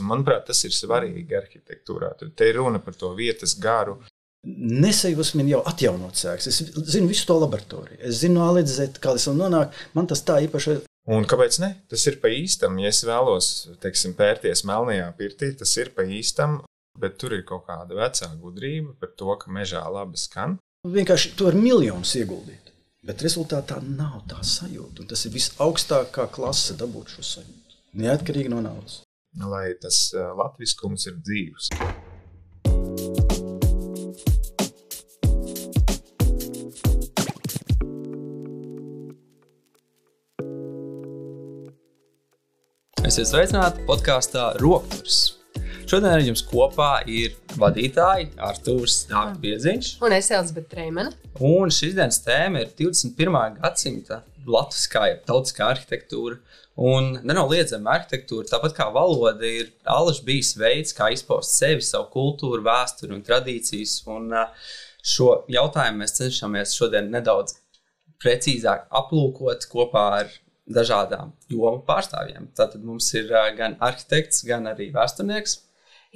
Un, manuprāt, tas ir svarīgi arhitektūrā. Te ir runa par to vietas garu. Nesajūsmi jau atjaunot sēks. Es zinu visu to laboratoriju. Es zinu no A līdz Z, kā es nonāku. Man tas tā īpaši... Un kāpēc ne? Tas ir pa īstam. Ja es vēlos, teiksim, pērties melnajā pirtī, tas ir pa īstam, bet tur ir kaut kāda vecā gudrība par to, ka mežā labi skan. Vienkārši tu var miljonus ieguldīt. Bet rezultātā nav tā sajūta. Un tas ir visaugstākā klase dabūt šo sajūtu. Neatkarīgi no naudas. Lai tas latviskums ir dzīvs. Esiet sveicināti podkāstā Rokturs. Šodien ar jums kopā ir vadītāji Artūrs Biedziņš un es Elzbete Treimane. Un šīs dienas tēma ir 21. gadsimta latviskā, tautiskā arhitektūra. Un nenoliedzama arhitektūra, tāpat kā valoda, ir alaži bijis veids, kā izpaust sevi, savu kultūru, vēsturi un tradīcijas. Un šo jautājumu mēs cenšamies šodien nedaudz precīzāk aplūkot kopā ar dažādām jomu pārstāvjiem. Tātad mums ir gan arhitekts, gan arī vēsturnieks.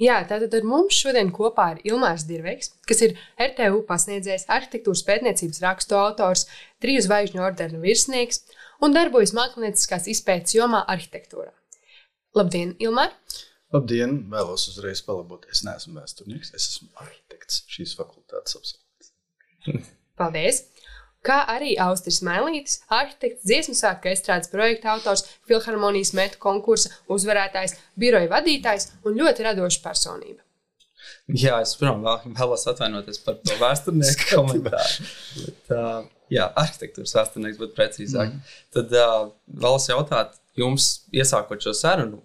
Jā, tātad ar mums šodien kopā ir Ilmārs Dirveiks, kas ir RTU pasniedzējs, arhitektūras pētniecības rakstu autors, 3 zvaigžņu ordena virsnieks un darbojas mākslinieckās izpētes jomā arhitektūrā. Labdien, Ilmār! Labdien! Vēlos uzreiz palabot. Es neesmu vēsturnieks, es esmu arhitekts šīs fakultātes absolvents. Paldies! Kā arī Austris Mailītis, arhitekts, dziesmu svētku estrādes projekta autors, Filharmonijas metu konkursa uzvarētājs, biroja vadītājs un ļoti radoša personība. Jā, es vēlos atvainoties par to vēsturnieku komentāru. Bet, arhitektūras vēsturnieks, bet precīzāk. Tad vēlos jautāt jums, iesākot šo sarunu,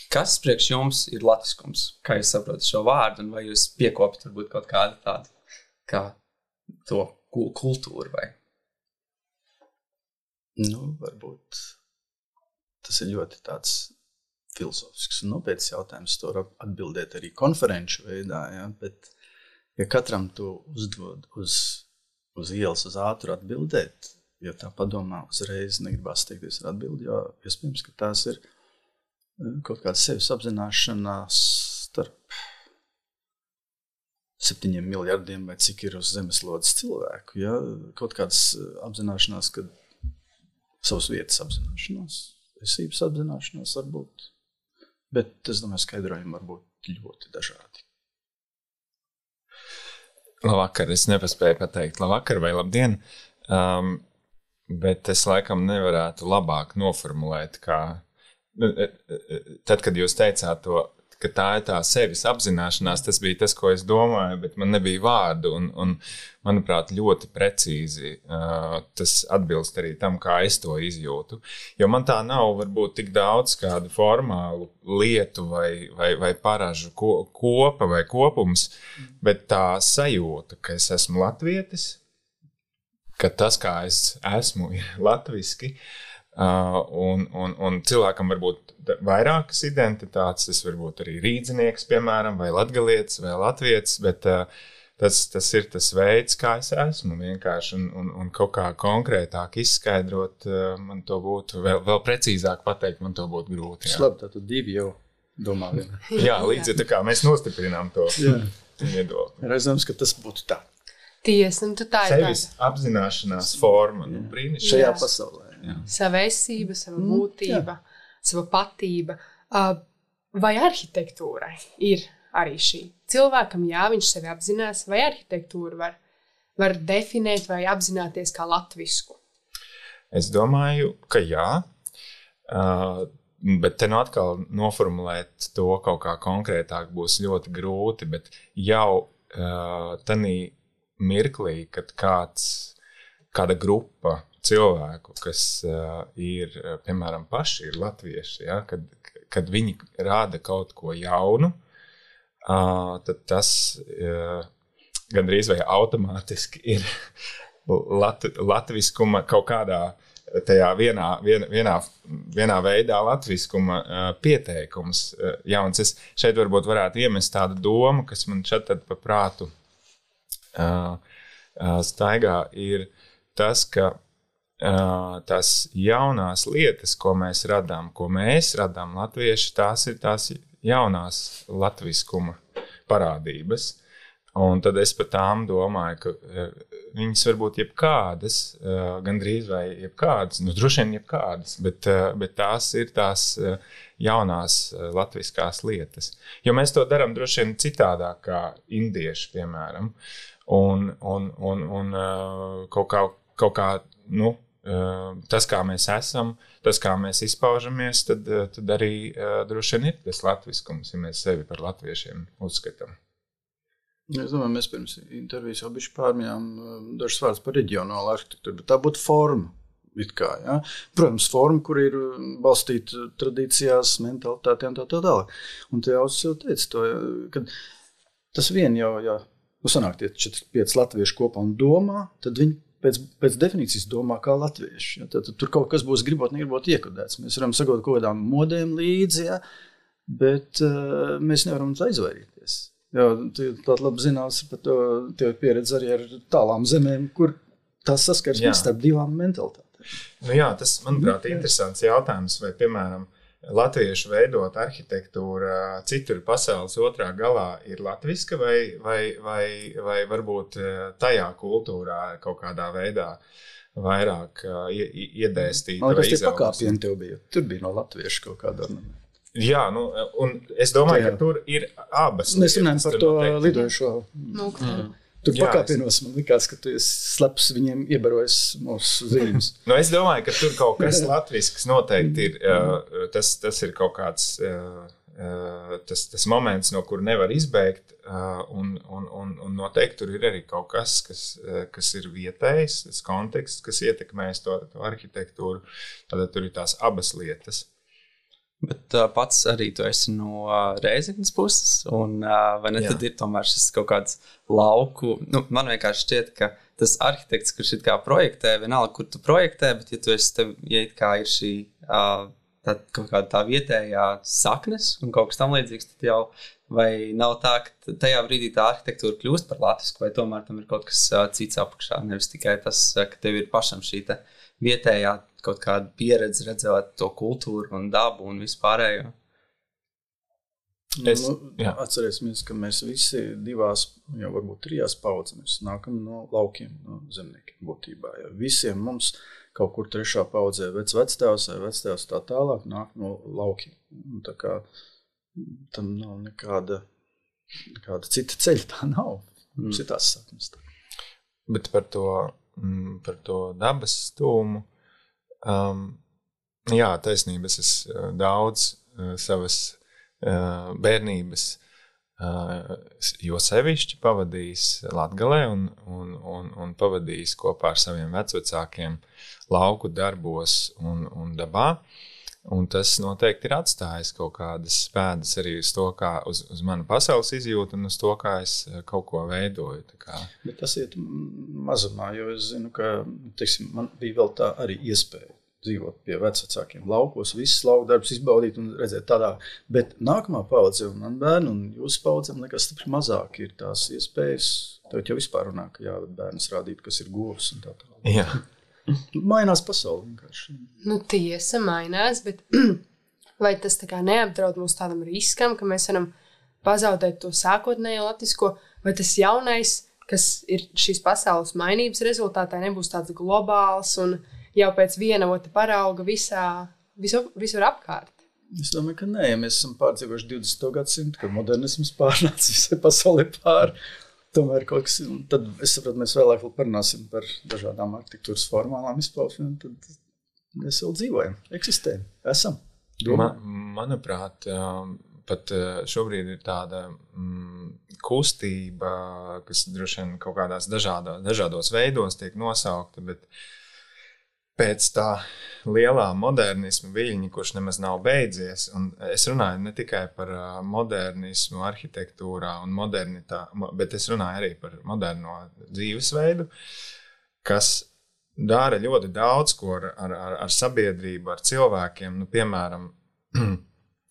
kas priekš jums ir latviskums? Kā jūs saprotat šo vārdu un vai jūs piekopat varbūt kaut kādu tādu kā to kultūru vai? Varbūt tas ir ļoti tāds filozofisks un nopietns jautājums. To var atbildēt arī konferenču veidā, ja? Bet ja katram tu uzdod uz ielas uz ātru atbildēt, ja tā padomā uzreiz negribās steigties ar atbildi, jo iespējams, ka tās ir kaut kāda sevis apzināšanās starp 7 miljardiem vai cik ir uz zemeslodes cilvēku. Ja? Kaut kādas apzināšanās, kad savas vietas apzināšanās, esības apzināšanās varbūt, bet es domāju, skaidrojumi var būt ļoti dažādi. Labvakar, es nepaspēju pateikt labvakar vai labdien, bet es laikam nevarētu labāk noformulēt, kā tad, kad jūs teicāt to, ka tā ir tā sevis apzināšanās, tas bija tas, ko es domāju, bet man nebija vārdu, un manuprāt, ļoti precīzi tas atbilst arī tam, kā es to izjūtu. Jo man tā nav varbūt tik daudz kādu formālu lietu vai paražu kopa vai kopums, bet tā sajūta, ka es esmu latvietis, ka tas, kā es esmu, ir latviski, un cilvēkam varbūt vairākas identitātes, tas varbūt arī rīdzinieks, piemēram, vai latgalietis, vai latvietis, bet tas ir tas veids, kā es esmu vienkārši, un kaut kā konkrētāk izskaidrot, man to būtu, vēl precīzāk pateikt, man to būtu grūti. Jā. Labi, tātad 2 jau domā vienā. Jā, līdzi tā kā mēs nostiprinām to viedokli. Redzams, ka tas būtu tā. Tiesa, un tu tā ir sevis apzināšanās forma, brīnišķīgi. Šajā pasaulē. Jā. Sava esība, sava būtība, sava patība. Vai arhitektūrai ir arī šī? Cilvēkam, viņš sevi apzinās, vai arhitektūru var definēt vai apzināties kā latvisku? Es domāju, ka jā, bet te nu atkal noformulēt to kaut kā konkrētāk būs ļoti grūti, bet jau tanī mirklī, kad kāda grupa cilvēku, kas ir, piemēram, paši ir latvieši, ja, kad viņi rāda kaut ko jaunu, tad tas gandrīz vai automātiski ir latviskuma kaut kādā tajā vienā veidā latviskuma pieteikums jauns. Es šeit varbūt varētu iemest tādu domu, kas man šeit tad pa prātu staigā, ir tas, ka tās jaunās lietas, ko mēs radām latvieši, tās ir tās jaunās latviskuma parādības. Un tad es par tām domāju, ka viņas varbūt jebkādas, gandrīz vai jebkādas, droši vien jebkādas, bet tās ir tās jaunās latviskās lietas. Jo mēs to darām droši vien citādāk kā indieši, piemēram. Un kaut kā, tas, kā mēs esam, tas, kā mēs izpaužamies, tad arī droši vien ir tas latviskums, ja mēs sevi par latviešiem uzskatām. Es domāju, mēs pirms intervijas jau bišķi pārmijām dažas vārdas par reģionālu arhitektūru, bet tā būtu forma. Kā, ja? Protams, forma, kur ir balstīta tradīcijās, mentalitātē un tā tālāk. Un te jau teica to, ka tas vien jau, ja sanāk tie 4-5 latvieši kopā un domā, tad viņi pēc definīcijas domā kā latvieši. Ja? Tad tur kaut kas būs gribot, negribot iekodēts. Mēs varam sagot kaut kādām modēm līdzi, ja? Bet mēs nevaram aizvairīties. Jā, tāda labi zināms par to tev pieredze arī ar tālām zemēm, kur tās saskarsmes starp divām mentalitātēm. Jā, tas, manuprāt, ir interesants jautājums, vai, piemēram, latviešu veidot arhitektūra citur pasaules otrā galā ir latviska vai varbūt tajā kultūrā kaut kādā veidā vairāk iedēstīta vai izaugsme. Tie pakāpieni tev bija, tur bija no latviešu kaut kāda ornamenta. Jā, un es domāju, ka tur ir abas. Mēs runājam par to lidojušo. Tur pakāpienos man likās, ka tu sleps viņiem iebarojas mūsu zīmes. Es domāju, ka tur kaut kas latvisks noteikti ir. Tas ir kaut kāds tas moments, no kur nevar izbēgt, un noteikti tur ir arī kaut kas, kas ir vietējs, tas konteksts, kas ietekmēs to arhitektūru. Tad tur ir tās abas lietas. Bet pats arī tu esi no Rēzeknes puses, un vai ne tad ir tomēr šis kaut kāds lauku, man vienkārši šķiet, ka tas arhitekts, kurš it kā projektē, vienalga, kur tu projektē, bet ja tu esi ja it kā ir šī kaut kāda tā vietējā saknes un kaut kas tam līdzīgs, tad jau vai nav tā, ka tajā brīdī tā arhitektūra kļūst par latvisku, vai tomēr tam ir kaut kas cits apakšā, nevis tikai tas, ka tev ir pašam šī vietējā kaut kāda pieredze redzēt to kultūru un dabu un vispārējo. Atcerēsimies, ka mēs visi divās, jau varbūt 3 paudzes, mēs nākam no laukiem, no zemniekiem būtībā. Ja visiem mums kaut kur 3. paudzē vectēvs vai vectēvs tā tālāk nāk no laukiem. Tā kā tam nav nekāda cita ceļa, tā nav. Mums ir tās saknes. Bet par to dabas stūmu, taisnība, es daudz savas bērnības, jo sevišķi pavadījis Latgalē un pavadījis kopā ar saviem vecvecākiem lauku darbos un dabā. Un tas noteikti ir atstājis kaut kādas pēdas arī uz to, kā uz manu pasaules izjūtu un uz to, kā es kaut ko veidoju. Bet tas iet mazumā, jo es zinu, ka, man bija vēl tā arī iespēja dzīvot pie vecvecākiem laukos, visas lauku darbus izbaudīt un redzēt tādā. Bet nākamā paudze un man bērni un jūsu paudzēm nekas stipri mazāk ir tās iespējas. Tev jau vispār runā, ka bērnis rādīt, kas ir govs un tā tālāk. Jā. Mainās pasauli vienkārši. Tiesa mainās, bet vai tas tā kā neapdraud mūs tādam riskam, ka mēs varam pazaudēt to sākotnējo latvisko, vai tas jaunais, kas ir šīs pasaules mainības rezultātā, nebūs tāds globāls un jau pēc viena otra parauga visur apkārt? Es domāju, ka nē, ja mēs esam pārdzīvojuši 20. gadsimtu, kad modernisms pārnāca visai pasaulē pāri. Tomēr kaut kas, tad es saprotu, mēs vēlāk vēl parunāsim par dažādām arhitektūras formālām izpausmēm, tad mēs vēl dzīvojam, eksistējam, esam. Manuprāt, pat šobrīd ir tāda kustība, kas droši vien kaut kādās dažādos veidos tiek nosaukta, bet pēc tā lielā modernisma viļņa, kurš nemaz nav beidzies, un es runāju ne tikai par modernismu arhitektūrā un modernitāti, bet es runāju arī par moderno dzīvesveidu, kas dara ļoti daudz ko ar sabiedrību, ar cilvēkiem, piemēram,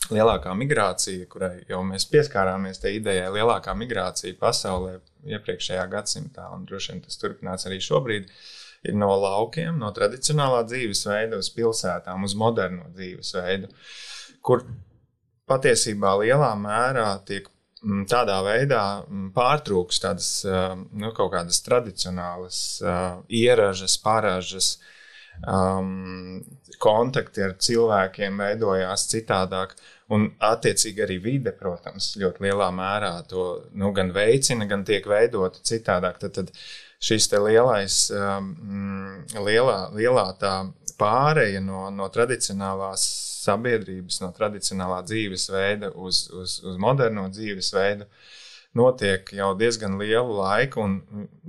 lielākā migrācija, kurai jau mēs pieskārāmies tai idejai, lielākā migrācija pasaulē iepriekšējā gadsimtā, un droši vien tas turpinās arī šobrīd, ir no laukiem, no tradicionālā dzīvesveida uz pilsētām, uz moderno dzīvesveidu, kur patiesībā lielā mērā tiek tādā veidā pārtrūks tādas kaut kādas tradicionālas ieražas, paražas, kontakti ar cilvēkiem veidojās citādāk, un attiecīgi arī vide, protams, ļoti lielā mērā to gan veicina, gan tiek veidota citādāk. Tad šis te lielā tā pāreja no tradicionālās sabiedrības, no tradicionālā dzīvesveida uz moderno dzīvesveidu notiek jau diezgan lielu laiku, un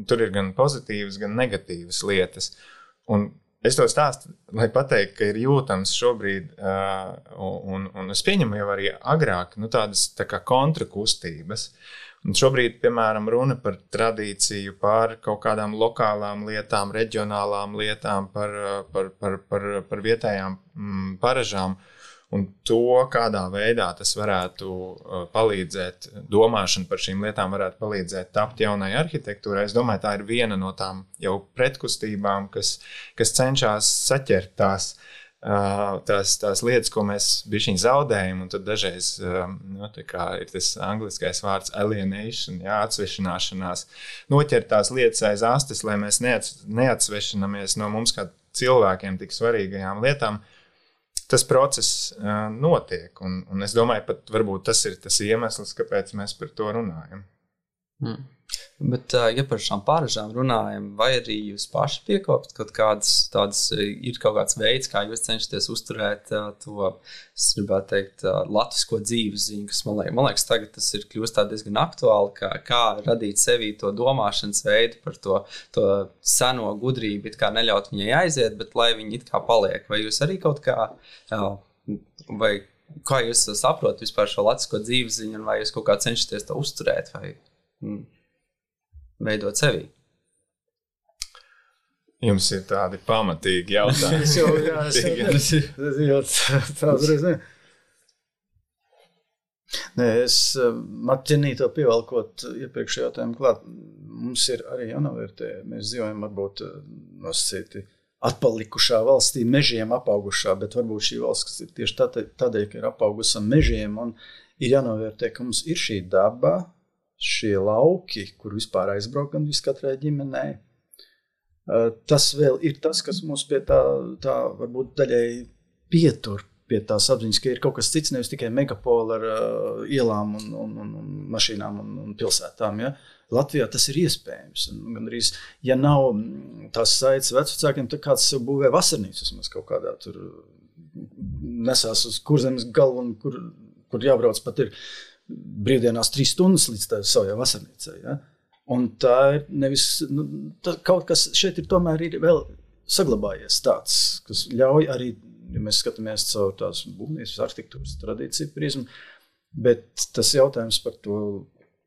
tur ir gan pozitīvas, gan negatīvas lietas. Un es to stāstu, lai pateiktu, ka ir jūtams šobrīd, un es pieņemu jau arī agrāk, tādas tā kā kontrakustības. Un šobrīd, piemēram, runa par tradīciju, par kaut kādām lokālām lietām, reģionālām lietām, par vietējām paražām. Un to, kādā veidā tas varētu palīdzēt, domāšana par šīm lietām varētu palīdzēt tapt jaunai arhitektūrai. Es domāju, tā ir viena no tām jau pretkustībām, kas cenšas saķert tās lietas, ko mēs bišķiņ zaudējam, un tad dažreiz ir tas angliskais vārds alienation, atsvešināšanās, noķert tās lietas aiz astes, lai mēs neatsvešinamies no mums kā cilvēkiem tik svarīgajām lietām. Tas process notiek, un es domāju, pat varbūt tas ir tas iemesls, kāpēc mēs par to runājam. Bet, ja par šām pāražām runājam, vai arī jūs paši piekopat kaut kādas tādas, ir kaut kāds veids, kā jūs cenšaties uzturēt to, es gribētu teikt, latvisko dzīvesziņu, kas man liekas, tagad tas ir kļūst tā diezgan aktuāli, kā radīt sevī to domāšanas veidu par to seno gudrību, it kā neļaut viņai aiziet, bet lai viņi it kā paliek. Vai jūs arī kaut kā, vai kā jūs saprotat vispār šo latvisko dzīvesziņu, un vai jūs kaut kā cenšaties to uzturēt, vai veidot sevī? Jums ir tādi pamatīgi jautājumi. Es ķernīto pievalkot iepriekšējā jautājumu klāt, mums ir arī jānovērtē. Mēs dzīvojam varbūt nosacīti atpalikušā valstī, mežiem apaugušā, bet varbūt šī valsts, kas ir tieši tādēļ, ka ir apaugusi mežiem, un ir jānovērtē, ka mums ir šī daba, šie lauki, kur vispār aizbraukam viskatrai ģimenei. Tas vēl ir tas, kas mums pie tā varbūt daļai pietur pie tās apziņas, ka ir kaut kas cits, nevis tikai megapola ar ielām un mašīnām un pilsētām. Ja? Latvijā tas ir iespējams. Un gandrīz, ja nav tās saites vecvecākiem, tad kāds sev būvē vasarnīcu, vismaz kaut kādā tur nesās uz Kurzemes galvu, un kur jābrauc pat ir brīvdienās 3 stundas līdz tā savajā vasarnīcai. Ja? Un tā ir nevis, kaut kas šeit ir tomēr ir vēl saglabājies tāds, kas ļauj arī, ja mēs skatāmies caur tās būvniecības arhitektūras tradīciju prizmu, bet tas jautājums par to,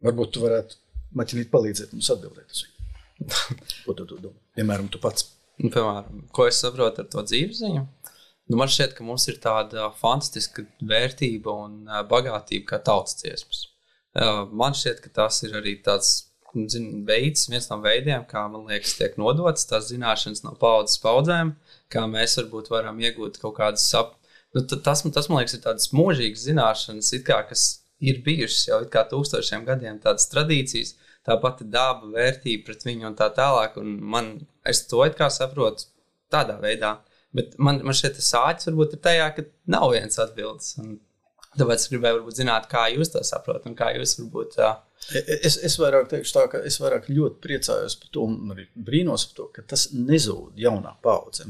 varbūt tu varētu, Maķinīt, palīdzēt mums atbildēt uz viņu. Ko tu domā? Piemēram, tu pats. Piemēram, ko es saprotu ar to dzīvesziņu? Man šķiet, ka mums ir tāda fantastiska vērtība un bagātība kā tautas dziesmas. Man šķiet, ka tas ir arī tāds veids, viens no veidiem, kā, man liekas, tiek nodotas tās zināšanas no paudzes paudzēm, kā mēs varbūt varam iegūt kaut kādas tas, man liekas, ir tādas mūžīgas zināšanas, it kā, kas ir bijušas jau it kā 1000 gadiem, tādas tradīcijas, tā pati daba, vērtība pret viņu un tā tālāk, un es to it kā saprotu tādā veidā. Bet man šeit sāķis varbūt ir tajā, ka nav viens atbildes. Tāpēc es gribēju varbūt zināt, kā jūs to saprotat un kā jūs varbūt... Es vairāk teikšu tā, ka es vairāk ļoti priecājos par to un arī brīnos par to, ka tas nezūd jaunā paudze.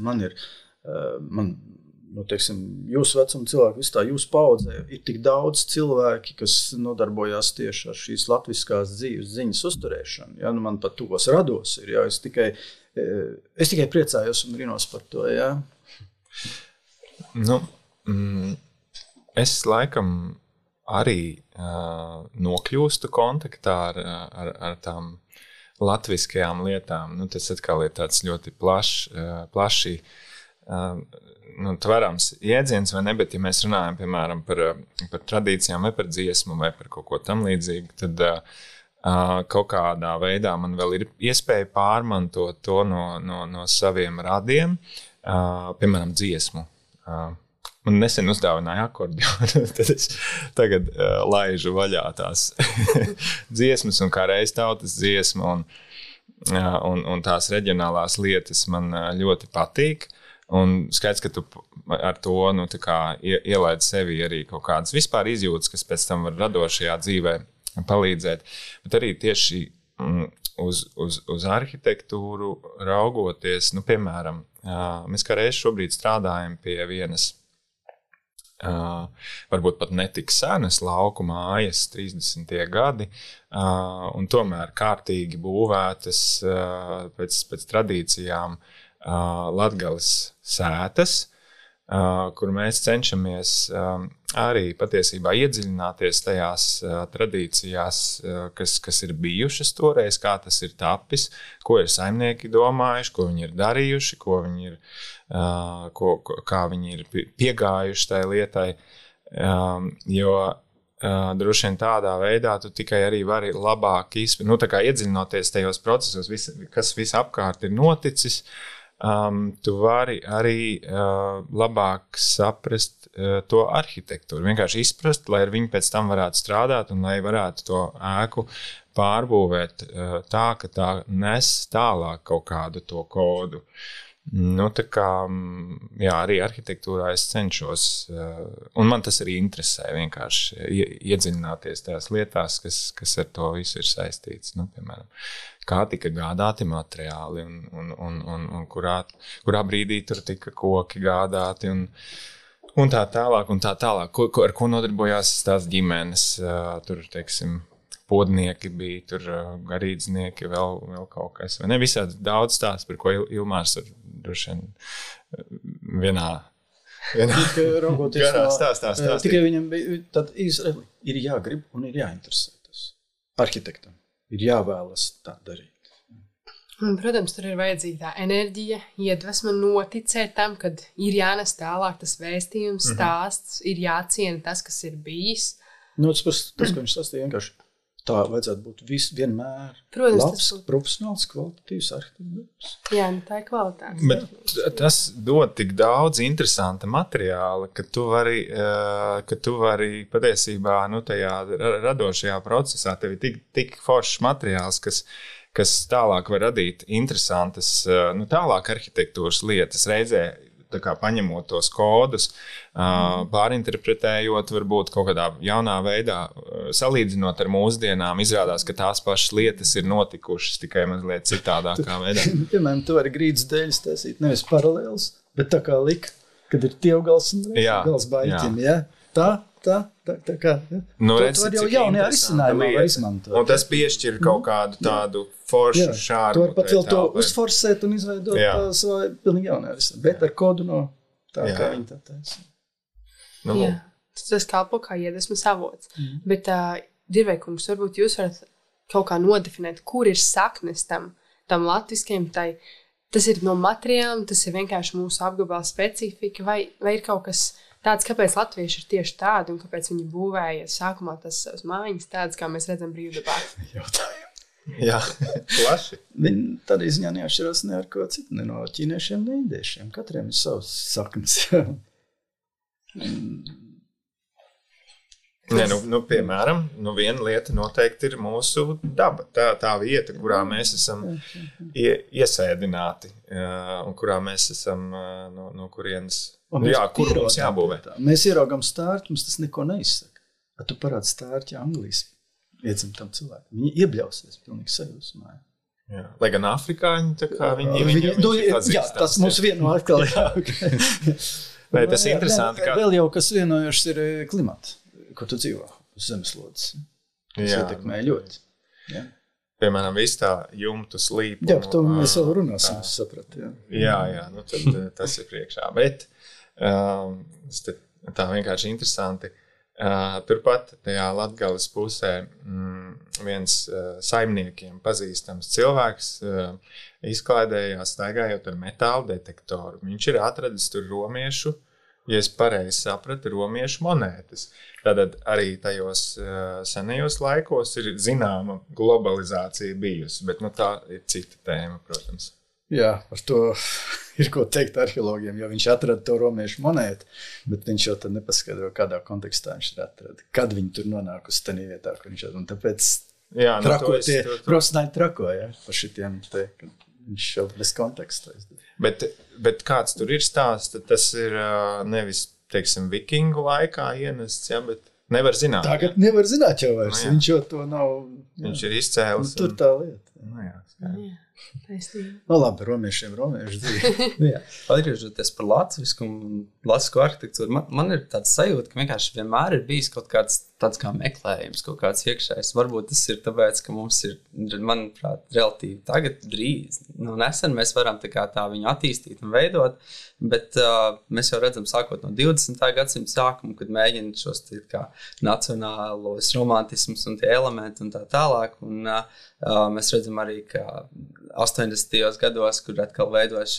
Teiksim, jūsu vecuma cilvēki, visu tā jūsu paudzē ir tik daudz cilvēki, kas nodarbojās tieši ar šīs latviskās dzīves ziņas uzturēšanu. Ja? Man pat tuvos rados ir, ja? Es tikai priecājos un brīnos par to, jā. Es laikam arī nokļūstu kontaktā ar tām latviskajām lietām. Tas atkal ir tāds ļoti plaši tverams jēdziens, vai ne, bet ja mēs runājam, piemēram, par tradīcijām vai par dziesmu vai par kaut ko tam līdzīgu, tad kaut kādā veidā man vēl ir iespēja pārmantot to no saviem radiem, piemēram, dziesmu. Man nesen uzdāvināja akordionu, tad es tagad laižu vaļā tās dziesmas un kā reiz tautas dziesma un tās reģionālās lietas man ļoti patīk. Un skaidrs, ka tu ar to ielaid sevi arī kaut kādas vispār izjūtas, kas pēc tam var radošajā dzīvē palīdzēt. Bet arī tieši uz arhitektūru raugoties, piemēram, mēs kā reiz šobrīd strādājam pie vienas, varbūt pat netik senas lauku mājas, 30. gadi, un tomēr kārtīgi būvētas pēc tradīcijām Latgales sētas, kur mēs cenšamies arī patiesībā iedziļināties tajās tradīcijās, kas ir bijušas toreiz, kā tas ir tapis, ko ir saimnieki domājuši, ko viņi ir darījuši, kā viņi ir piegājuši tai lietai, jo droši vien tādā veidā tu tikai arī vari labāk iedziļinoties tajos procesos, kas visapkārt ir noticis, tu vari arī labāk saprast to arhitektūru, vienkārši izprast, lai ar viņu pēc tam varētu strādāt un lai varētu to ēku pārbūvēt tā, ka tā nes tālāk kaut kādu to kodu. Arī arhitektūrā es cenšos, un man tas arī interesē vienkārši iedziļināties tās lietās, kas ar to visu ir saistīts. Piemēram, kā tika gādāti materiāli un kurā brīdī tur tika koki gādāti un tā tālāk. Ar ko nodarbojās tās ģimenes, tur, teiksim, podnieki bija, tur garīdznieki, vēl kaut kas. Vai ne? Visādi daudz stāsts, par ko Ilmārs ar droši vien vienā raugoties stāst. Tikai viņam bija, tad Izraeli ir jāgrib un ir jāinteresētas. Arhitektam ir jāvēlas tā darīt. Un, protams, tur ir vajadzīga tā enerģija, iedvesma noticēt tam, kad ir jānes tālāk tas vēstījums, stāsts, ir jāciena tas, kas ir bijis. Tas, ko viņš sastīja, vienkārši tā vajadzētu būt vienmēr. Protams, labs, profesionāls, kvalitatīvs arhitektūrs. Jā, tā ir kvalitāte. Bet tas dod tik daudz interesanta materiāla, ka tu vari patiesībā tajā radošajā procesā tev ir tik foršs materiāls, kas tālāk var radīt interesantas, tālāk arhitektūras lietas reizē, tā kā paņemot tos kodus, pārinterpretējot, varbūt kaut kādā jaunā veidā, salīdzinot ar mūsdienām, izrādās, ka tās pašas lietas ir notikušas tikai mazliet citādākā veidā. Piemēram, tu vari grīdas dēļas taisīt nevis paralēls, bet tā kā kad ir tievgals un gals baiķim, ja? Tā kā, ja? Nu, tu var jau jaunajā risinājumā var izmantot. Un tas piešķir kaut kādu tādu foršu šārmu. Tu var pat vēl to uzforsēt un izveidot savu pilnīgi jaunajā risinājumā, bet ar kodu no tā, kā viņi tā taisa. Jā, tas kalpo kā iedvesmas avots. Bet, Dirveikungs, varbūt jūs varat kaut kā nodefinēt, kur ir saknes tam latviskajam, tas ir no materiāliem, tas ir vienkārši mūsu apgabala specifika, vai ir kaut kas tāds, kāpēc latvieši ir tieši tādi un kāpēc viņi būvēja sākumā tas savas mājiņas tādas, kā mēs redzam brīvdabā? Jautājumu. Jā, plaši. Viņi tādā ziņā neatšķirās ne ar ko citu, ne no ķīniešiem, ne indiešiem. Katriem ir savs saknes. Piemēram, viena lieta noteikti ir mūsu daba. Tā vieta, kurā mēs esam iesēdināti un kurā mēs esam no kurienes, kur mums jābūvē. Mēs ieraugam stārķi, mums tas neko neizsaka. Tu parādi stārķi Anglijas iedzimtam cilvēkam. Viņi iebļausies pilnīgi sajūsmā. Jā. Lai gan afrikāņi, tā kā viņi jā, tas mums vieno atkal. Vai tas ir interesanti? Vēl jau kas vienojušas ir klimata, ko tu dzīvo uz zemeslodes. Tas ietekmē ļoti. Jā. Piemēram, viss tā jumtu slīpu. Jā, par to mēs vēl runāsim, es sapratu. Jā, tad tas ir priekšā. Bet tā vienkārši interesanti. Turpat tajā Latgales pusē viens saimniekiem pazīstams cilvēks izklaidējās staigājot ar metāla detektoru. Viņš ir atradis tur romiešu, ja es pareizi sapratu, romiešu monētas. Tātad arī tajos senajos laikos ir zināma globalizācija bijusi, bet tā ir cita tēma, protams. Jā, par to ir ko teikt arheologiem, jo viņš atrada to romiešu monētu, bet viņš jau tad nepaskaidro, kādā kontekstā viņš ir atrada. Kad viņi tur nonākusi tajā vietā, kur viņš atrada. Un tāpēc profesionāļi trakoja par šitiem te, kad viņš jau bez konteksta. Bet kāds tur ir stāsts, tad tas ir nevis, teiksim, vikingu laikā ienests, ja, bet nevar zināt. Tagad nevar zināt jau vairs, viņš jau to nav. Viņš ir izcēlis. Tur tā lieta. Taisnība. No labi, romiešu dzīvi. Atgriežoties par latvisku un latvisku arhitektūru, man ir tāds sajūta, ka vienkārši vienmēr ir bijis kaut kāds tāds kā meklējums, kaut kāds iekšējs. Varbūt tas ir tāpēc, ka mums ir, manuprāt, relatīvi tagad drīz. Nesen mēs varam tā viņu attīstīt un veidot, bet mēs jau redzam sākot no 20. gadsimta sākumu, kad mēģina šos kā nacionālos romantismus un tie elementi un tā tālāk. Un mēs redzam arī, ka 80. gados, kur atkal veidojas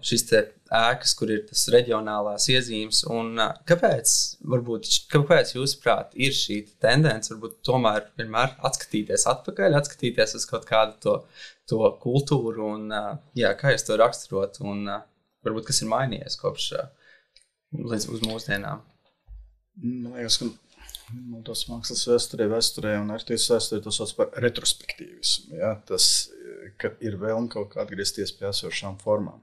šis te ēkas, kur ir tas reģionālās iezīmes. Un kāpēc jūsuprāt ir šī tendence, varbūt tomēr vienmēr atskatīties atpakaļ, atskatīties uz kaut kādu to kultūru un kā jūs to raksturot un varbūt kas ir mainījies kopš līdz uz mūsdienām? Man liekas, ka tos mākslas vēsturē un arhitektas vēsturē to sauc par retrospektīvismu. Ja? Tas, ka ir vēlme kaut kā atgriezties pie esošām formām.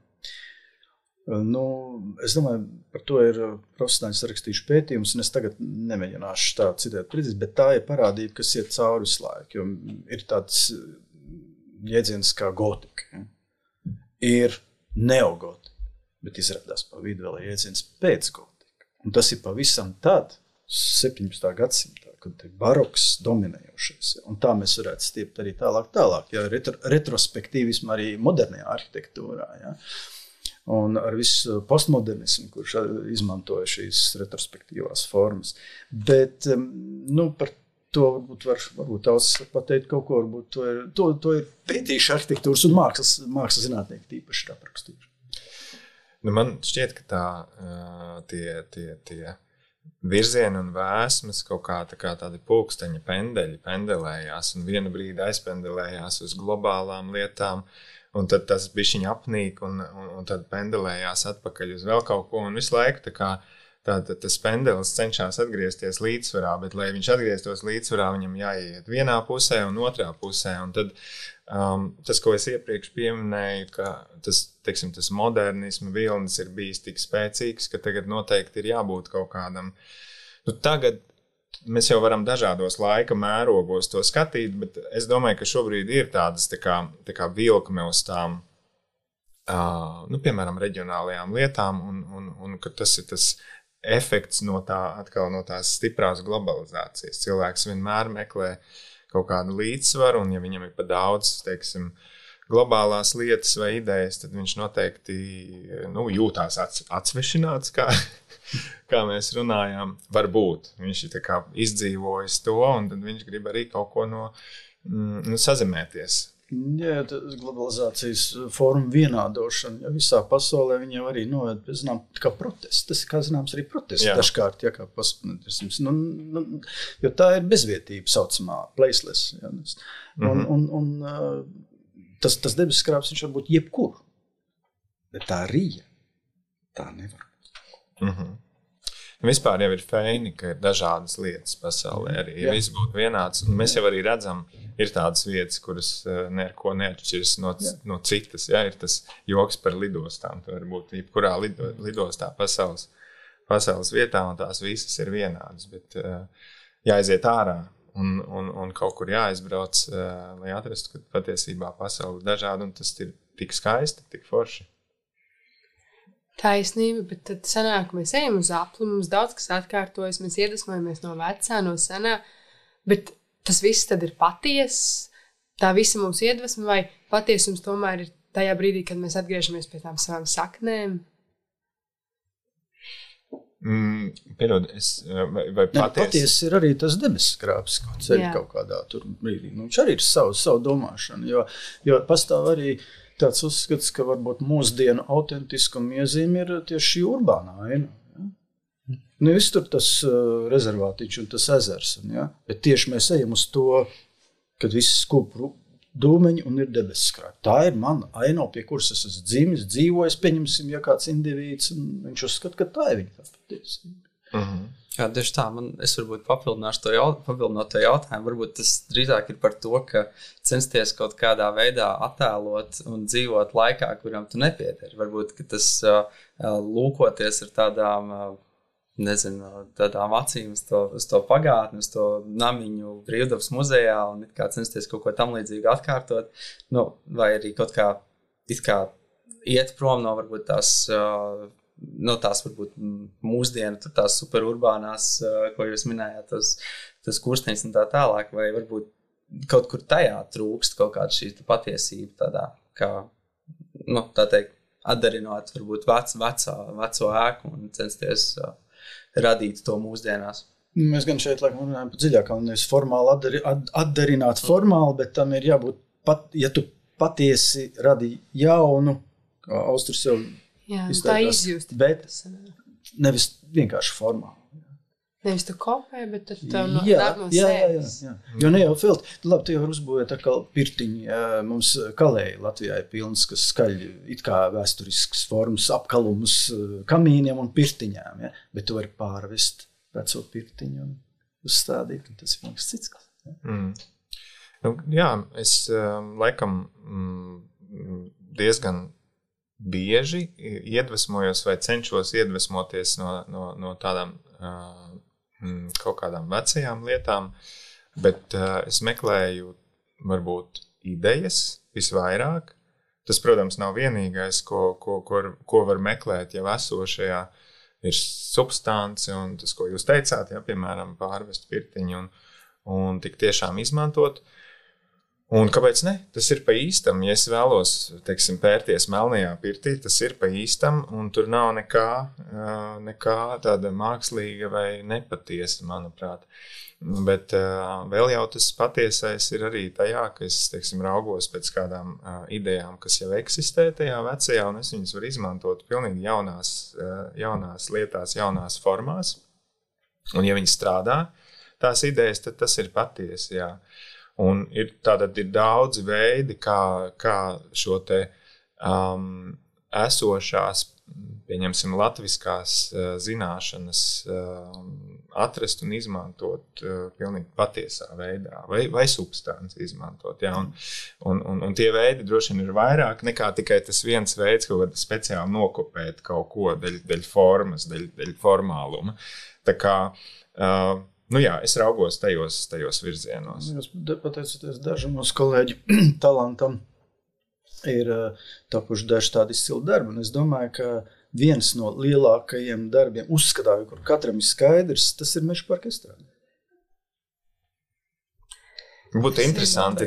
Es domāju, par to ir profesionāļi sarakstījuši pētījumus, un es tagad nemēģināšu tā citēt precīzi, bet tā ir parādība, kas iet cauri visu laiku, jo ir tāds jēdziens kā gotika. Ja? Ir neogotika, bet izrādās pa vidu vēl jēdziens pēc gotika. Un tas ir pavisam tad, 17. gadsimtā, kad ir baroks dominējošais. Ja? Un tā mēs varētu stiept arī tālāk. Ja? Retrospektīvismu arī modernajā arhitektūrā. Ja? Un ar visu postmodernismu, kurš izmantoja šīs retrospektīvās formas. Bet par to varbūt daudz pateikt kaut ko, varbūt to ir pētījuši arhitektūras un mākslas zinātnieki tīpaši aprakstījuši. Man šķiet, ka tie virzieni un vēsmas kaut kā tādi pulksteņa pendelējās un vienu brīdi aizpendelējās uz globālām lietām. Un tad tas bišķiņ apnīk un tad pendelējās atpakaļ uz vēl kaut ko. Un visu laiku tas pendelis cenšas atgriezties līdzsvarā, bet, lai viņš atgrieztos līdzsvarā, viņam jāiet vienā pusē un otrā pusē. Un tad tas, ko es iepriekš pieminēju, ka tas modernisma vilnis ir bijis tik spēcīgs, ka tagad noteikti ir jābūt kaut kādam. Tagad mēs jau varam dažādos laika mērogos to skatīt, bet es domāju, ka šobrīd ir tādas tā kā vilkme uz tām, piemēram, reģionālajām lietām, un ka tas ir tas efekts no tās stiprās globalizācijas. Cilvēks vienmēr meklē kaut kādu līdzsvaru, un ja viņam ir pa daudz, teiksim, globālās lietas vai idejas, tad viņš noteikti jūtās atsvešināts, kā mēs runājām. Varbūt viņš ir tā kā izdzīvojis to, un tad viņš grib arī kaut ko sazemēties. Jā, globalizācijas forma vienādošana, ja visā pasaulē viņa jau arī noved, kā protests. Tas ir, kā zināms, arī protests dažkārt, kā postmodernisms. Jo tā ir bezvietība saucamā, placeless. Ja, un tas debesu skrāps viņš var būt jebkur. Bet tā rīja, tā nevar. Vispār jau ir feini, ka ir dažādas lietas pasaulē arī. Ja viss būtu vienāds, un mēs jau arī redzam, ir tādas vietas, kuras neko neatšķiras no citas. Ja? Ir tas joks par lidostām. Tu var būt jebkurā lidostā pasaules vietā, un tās visas ir vienādas. Bet jāaiziet ārā. Un kaut kur jāizbrauc, lai atrastu, ka patiesībā pasaule ir dažāda, un tas ir tik skaisti, tik forši. Taisnība, bet tad sanāk, mēs ejam uz apli, mums daudz kas atkārtojas, mēs iedvesmojamies no vecā, no senā, bet tas viss tad ir patiess, tā visa mūsu iedvesma, vai patiesums tomēr ir tajā brīdī, kad mēs atgriežamies pie tām savām saknēm? Piedod, vai patiesi ir arī tas debesu skrāps, ko ceļ kaut kādā tur brīdī. Viņš arī ir savu domāšanu, jo pastāv arī tāds uzskats, ka varbūt mūsdienu autentiskuma iezīme ir tieši urbānā aina. Ja? Viss tur tas rezervātiņš un tas ezers, ja? Bet tieši mēs ejam uz to, kad viss dūmeņi un ir debesu skrāpji. Tā ir mana aino, pie kuras es esmu dzimis, dzīvojis, pieņemsim, ja kāds indivīds, un viņš uzskata, ka tā ir viņa tā patiesība. Jā, tieši tā, es varbūt papildināšu to jautājumu. Varbūt tas drīzāk ir par to, ka censties kaut kādā veidā attēlot un dzīvot laikā, kuram tu nepiederi. Varbūt, ka tas lūkoties ar tādām, tādām acīm uz to pagātni, uz to namiņu Brīvdabas muzejā un it kā censties kaut ko tam līdzīgu atkārtot, vai arī kaut kā iet prom no varbūt tās varbūt mūsdienu, tās superurbānās, ko jūs minējāt, tas kursteņas un tā tālāk, vai varbūt kaut kur tajā trūkst kaut kāda šī patiesība tādā, kā, tā teikt, atdarinot varbūt veco ēku un censties radīt to mūsdienās. Mēs gan šeit laikam runājam par dziļākām, nevis formāli atdarināt formāli, bet tam ir jābūt, ja tu patiesi radī jaunu, kā Austris jau izteikās, tā izjūst. Bet nevis vienkārši formāli. Nevis tu kopē, bet tad tev nāk no sevis. Jā. Jo ne jau filtri. Labi, tu jau uzbūvēt atkal pirtiņi. Mums kalēji Latvijā ir pilns, kas skaļ it kā vēsturisks formas, apkalumus kamīniem un pirtiņām. Ja? Bet tu vari pārvest veco pirtiņu un uzstādīt, un tas ir mums cits. Jā, es laikam diezgan bieži iedvesmojos vai cenšos iedvesmoties no tādām kaut kādām vecajām lietām, bet es meklēju varbūt idejas visvairāk. Tas, protams, nav vienīgais, ko var meklēt jau esošajā, ir substance un tas, ko jūs teicāt, ja, piemēram, pārvest pirtiņu un tik tiešām izmantot. Un kāpēc ne? Tas ir pa īstam. Ja es vēlos, teiksim, pērties melnajā pirtī, tas ir pa īstam, un tur nav nekā tāda mākslīga vai nepatiesa, manuprāt. Bet vēl jau tas patiesais ir arī tajā, ka es, teiksim, raugos pēc kādām idejām, kas jau eksistē tajā vecajā, un es viņas varu izmantot pilnīgi jaunās lietās, jaunās formās. Un ja viņi strādā, tās idejas, tad tas ir patiesi, jā. Un ir daudzi veidi, kā šo te esošās, pieņemsim, latviskās zināšanas atrast un izmantot pilnīgi patiesā veidā, vai substanci izmantot. Ja? Un tie veidi droši vien ir vairāk nekā tikai tas viens veids, kaut kādā speciāli nokopēt kaut ko dēļ formas, dēļ formāluma. Tā kā jā, es raugos tajos virzienos. Pateicoties dažam mūsu kolēģi talantam, ir tapuši daži tādi izcili darbi. Un es domāju, ka viens no lielākajiem darbiem, uzskatāju, kur katram ir skaidrs, tas ir Meža parka estrāde. Būtu interesanti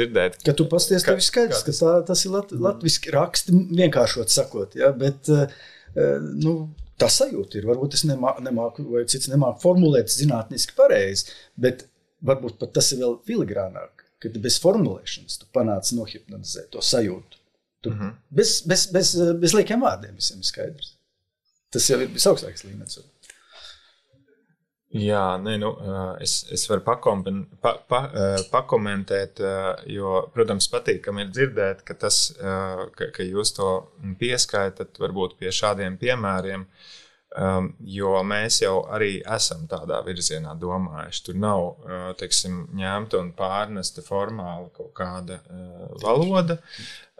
dzirdēt. Ka tu pasties, tev ir skaidrs, ka tas ir latviski raksti, vienkāršot sakot. Ja? Bet, tā sajūta ir. Varbūt es nemāku, vai cits nemāku formulēt zinātniski pareizi, bet varbūt pat tas ir vēl filigrānāk, kad bez formulēšanas tu panāc nohipnotizēt to sajūtu. Bez liekiem vārdiem visiem ir skaidrs. Tas jau ir visaugstākais līmenis. Jā, es varu pakomentēt, jo, protams, patīkam ir dzirdēt, ka jūs to pieskaitat varbūt pie šādiem piemēriem, jo mēs jau arī esam tādā virzienā domājuši. Tur nav, teiksim, ņemta un pārnesta formāli kaut kāda valoda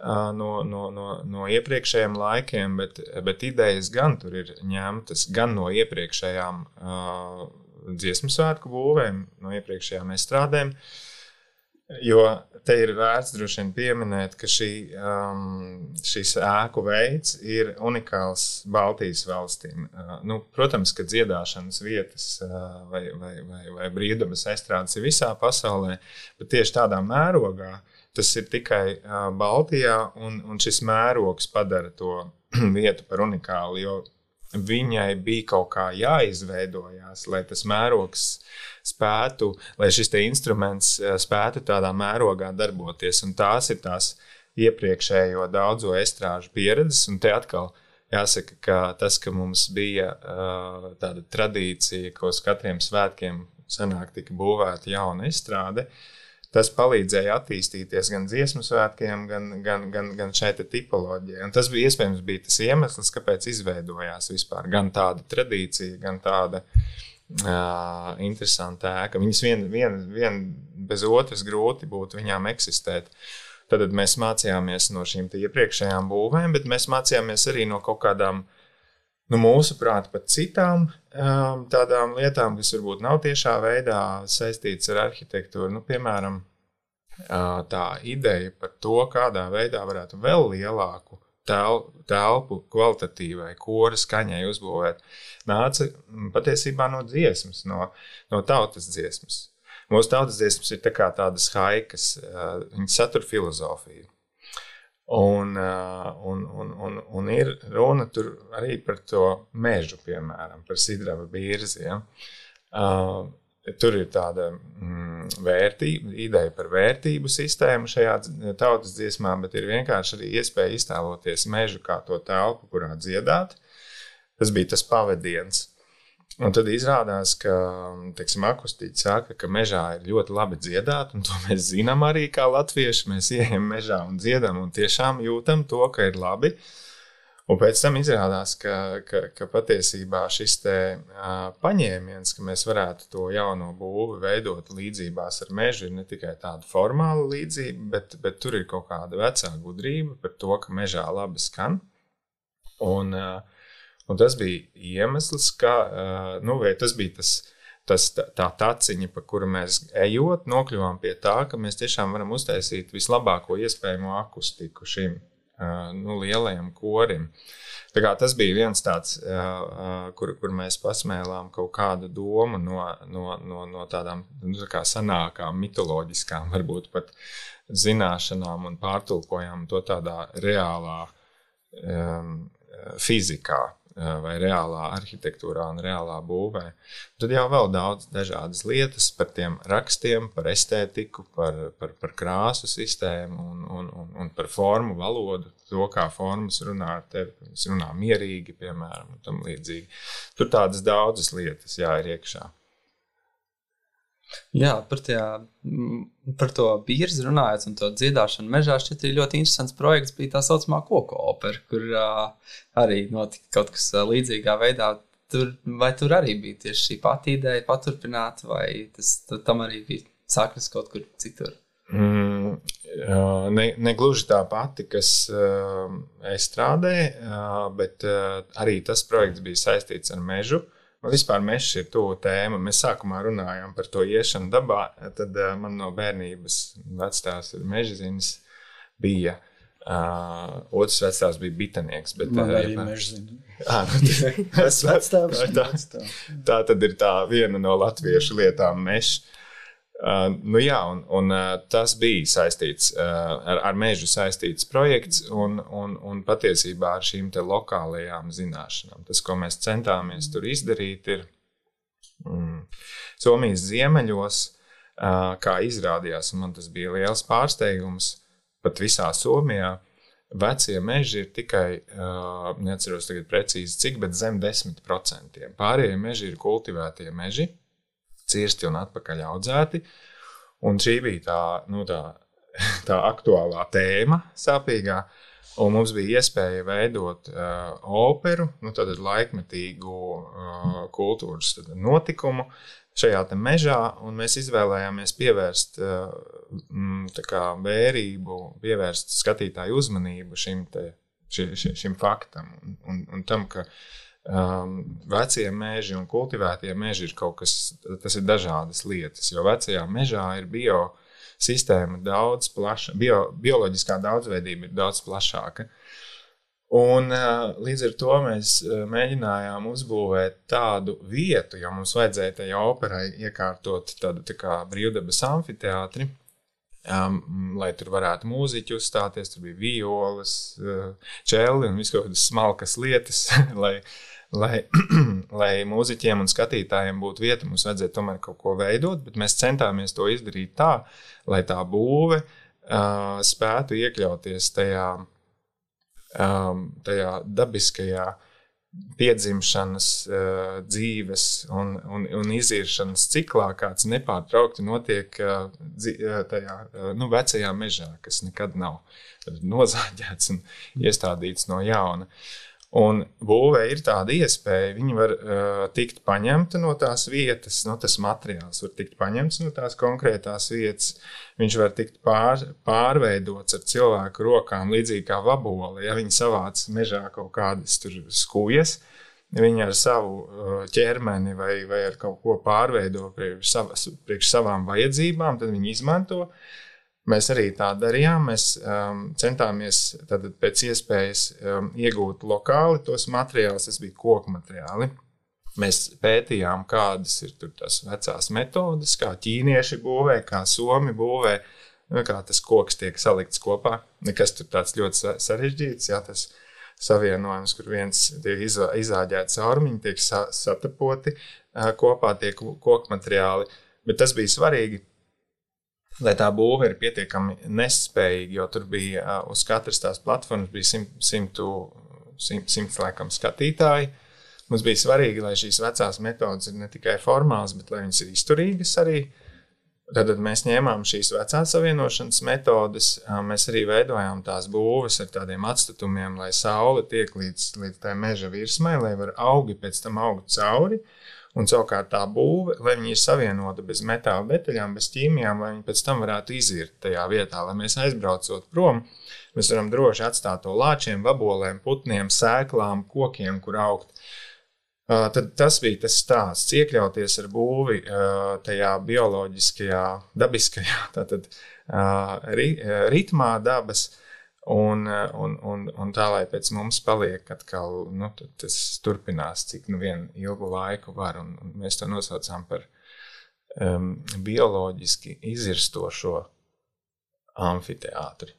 no iepriekšējiem laikiem, bet idejas gan tur ir ņemtas gan no iepriekšējām dziesmu svētku būvēm, no iepriekšējām estrādēm, jo te ir vērts droši vien pieminēt, ka šis ēku veids ir unikāls Baltijas valstīm. Protams, ka dziedāšanas vietas vai Brīvdabas estrādes ir visā pasaulē, bet tieši tādā mērogā tas ir tikai Baltijā, un šis mērogs padara to vietu par unikālu, jo viņai bija kaut kā jāizveidojās, lai tas mērogs spētu, lai šis te instruments spētu tādā mērogā darboties. Un tās ir tās iepriekšējo daudzo estrāžu pieredzes. Un te atkal jāsaka, ka tas, ka mums bija tāda tradīcija, ko uz katriem svētkiem senāk tika būvēta jauna estrāde, tas palīdzēja attīstīties gan dziesmu svētkiem, gan šai tipoloģijai. Un tas bija iespējams tas iemesls, kāpēc izveidojās vispār gan tāda tradīcija, gan tāda interesanta ēka. Viņas vien bez otras grūti būtu viņām eksistēt. Tad mēs mācījāmies no šīm iepriekšējām būvēm, bet mēs mācījāmies arī no kaut kādām, mūsuprāt, pat citām tādām lietām, kas varbūt nav tiešā veidā saistītas ar arhitektūru. Piemēram, tā ideja par to, kādā veidā varētu vēl lielāku telpu kvalitatīvai kora skaņai uzbūvēt, nāca patiesībā no dziesmas, no tautas dziesmas. Mūsu tautas dziesmas ir tādas haikas, viņas satur filozofiju. Un ir runa tur arī par to mežu, piemēram, par sidrava birzi. Ja? Tur ir tāda ideja par vērtību sistēmu šajā tautas dziesmā, bet ir vienkārši arī iespēja iztēloties mežu kā to telpu, kurā dziedāt. Tas bija tas pavadiens. Un tad izrādās, ka, akustiķi saka, ka mežā ir ļoti labi dziedāt, un to mēs zinām arī kā latvieši. Mēs ieejam mežā un dziedam un tiešām jūtam to, ka ir labi. Un pēc tam izrādās, ka patiesībā šis te paņēmiens, ka mēs varētu to jauno būvi veidot līdzībās ar mežu, ir ne tikai tāda formāla līdzība, bet tur ir kaut kāda vecā gudrība par to, ka mežā labi skan. Un tas bija iemesls, vai tas bija tā taciņa, pa kuru mēs ejot, nokļuvām pie tā, ka mēs tiešām varam uztaisīt vislabāko iespējamo akustiku šim lielajam korim. Tā kā tas bija viens tāds, kur mēs pasmēlām kaut kādu domu no tādām sanākām, mitoloģiskām, varbūt pat zināšanām un pārtulkojām to tādā reālā fizikā vai reālā arhitektūrā un reālā būvē. Tad jau vēl daudz dažādas lietas par tiem rakstiem, par estētiku, par krāsu sistēmu un par formu valodu, to, kā formas runā ar tevi, kas runā mierīgi, piemēram, un tam līdzīgi. Tur tādas daudzas lietas ir iekšā. Jā, par to bīrzi runājot un to dziedāšanu mežā, šķiet ir ļoti interesants projekts, bija tā saucamā koku opera, kur arī notika kaut kas līdzīgā veidā. Vai tur arī bija tieši šī pati ideja paturpināt, vai tam arī bija saknes kaut kur citur? Negluži tā pati, kas estrādē, bet arī tas projekts bija saistīts ar mežu. Vispār mežs ir tuvu tēma. Mēs sākumā runājām par to iešanu dabā, tad man no bērnības vectās ir mežzinis bija. Otrs vectās bija bitanieks. Bet, man arī mežzini. Tas vectāvs. Tā tad ir tā viena no latviešu lietām mežs. Un tas bija saistīts ar mežu saistīts projekts un patiesībā ar šīm te lokālajām zināšanām. Tas, ko mēs centāmies tur izdarīt, ir Somijas ziemeļos, kā izrādījās, un man tas bija liels pārsteigums, pat visā Somijā, vecie meži ir tikai, neatceros tagad precīzi cik, bet zem 10%. Pārējie meži ir kultivētie meži, cirsti un atpakaļ audzēti, un šī bija tā aktuālā tēma sāpīgā, un mums bija iespēja veidot operu, tātad laikmetīgu kultūras notikumu šajā te mežā, un mēs izvēlējāmies pievērst vērību, pievērst skatītāju uzmanību šim faktam, un tam, ka vecie meži un kultivētie meži ir kaut kas, tas ir dažādas lietas, jo vecajā mežā ir biosistēma daudz plaša, bioloģiskā daudzveidība ir daudz plašāka. Un līdz ar to mēs mēģinājām uzbūvēt tādu vietu, jo mums vajadzēja tajā operai iekārtot tādu kā brīvdabas amfiteātri, lai tur varētu mūziķi uzstāties, tur bija violas, čelli un visu kaut kādas smalkas lietas, lai mūziķiem un skatītājiem būtu vieta, mums vajadzēja tomēr kaut ko veidot, bet mēs centāmies to izdarīt tā, lai tā būve spētu iekļauties tajā dabiskajā piedzimšanas, dzīves un iziršanas ciklā, kāds nepārtraukti notiek tajā vecajā mežā, kas nekad nav nozāģēts un iestādīts no jauna. Un būvē ir tāda iespēja, viņi var tikt paņemta no tās vietas, tas materiāls var tikt paņemts no tās konkrētās vietas, viņš var tikt pārveidots ar cilvēku rokām, līdzīgi kā vaboli, ja viņi savāc mežā kaut kādas tur skūjas, viņi ar savu ķermeni vai ar kaut ko pārveido priekš savām vajadzībām, tad viņi izmanto. Mēs arī tā darījām, mēs centāmies tātad pēc iespējas iegūt lokāli tos materiālus, tas bija koku materiāli. Mēs pētījām, kādas ir tur tās vecās metodes, kā ķīnieši būvē, kā somi būvē, kā tas koks tiek salikts kopā. Nekas tur tāds ļoti sarežģīts, jā, tas savienojums, kur viens tiek izāģēts caurmiņi, tiek satapoti kopā tie koku materiāli. Bet tas bija svarīgi, lai tā būve ir pietiekami nespējīga, jo tur bija uz katras tās platformas bija 100 laikam skatītāji. Mums bija svarīgi, lai šīs vecās metodas ir ne tikai formāls, bet lai viņas ir izturīgas arī. Tad mēs ņēmām šīs vecās savienošanas metodas, mēs arī veidojām tās būves ar tādiem atstatumiem, lai saule tiek līdz tai meža virsmai, lai var augi pēc tam augt cauri. Un savukārt tā būve, lai viņi ir savienota bez metāla detaļām, bez ķīmijām, lai viņi pēc tam varētu izirt tajā vietā, lai mēs aizbraucot prom, mēs varam droši atstāt to lāčiem, vabolēm, putniem, sēklām, kokiem, kur augt. Tad tas bija tas stāsts, iekļauties ar būvi tajā bioloģiskajā, dabiskajā tātad, ritmā dabas, un tā, lai pēc mums paliek atkal, tas turpinās, cik vien ilgu laiku var, un mēs to nosaucām par bioloģiski izirstošo amfiteātri.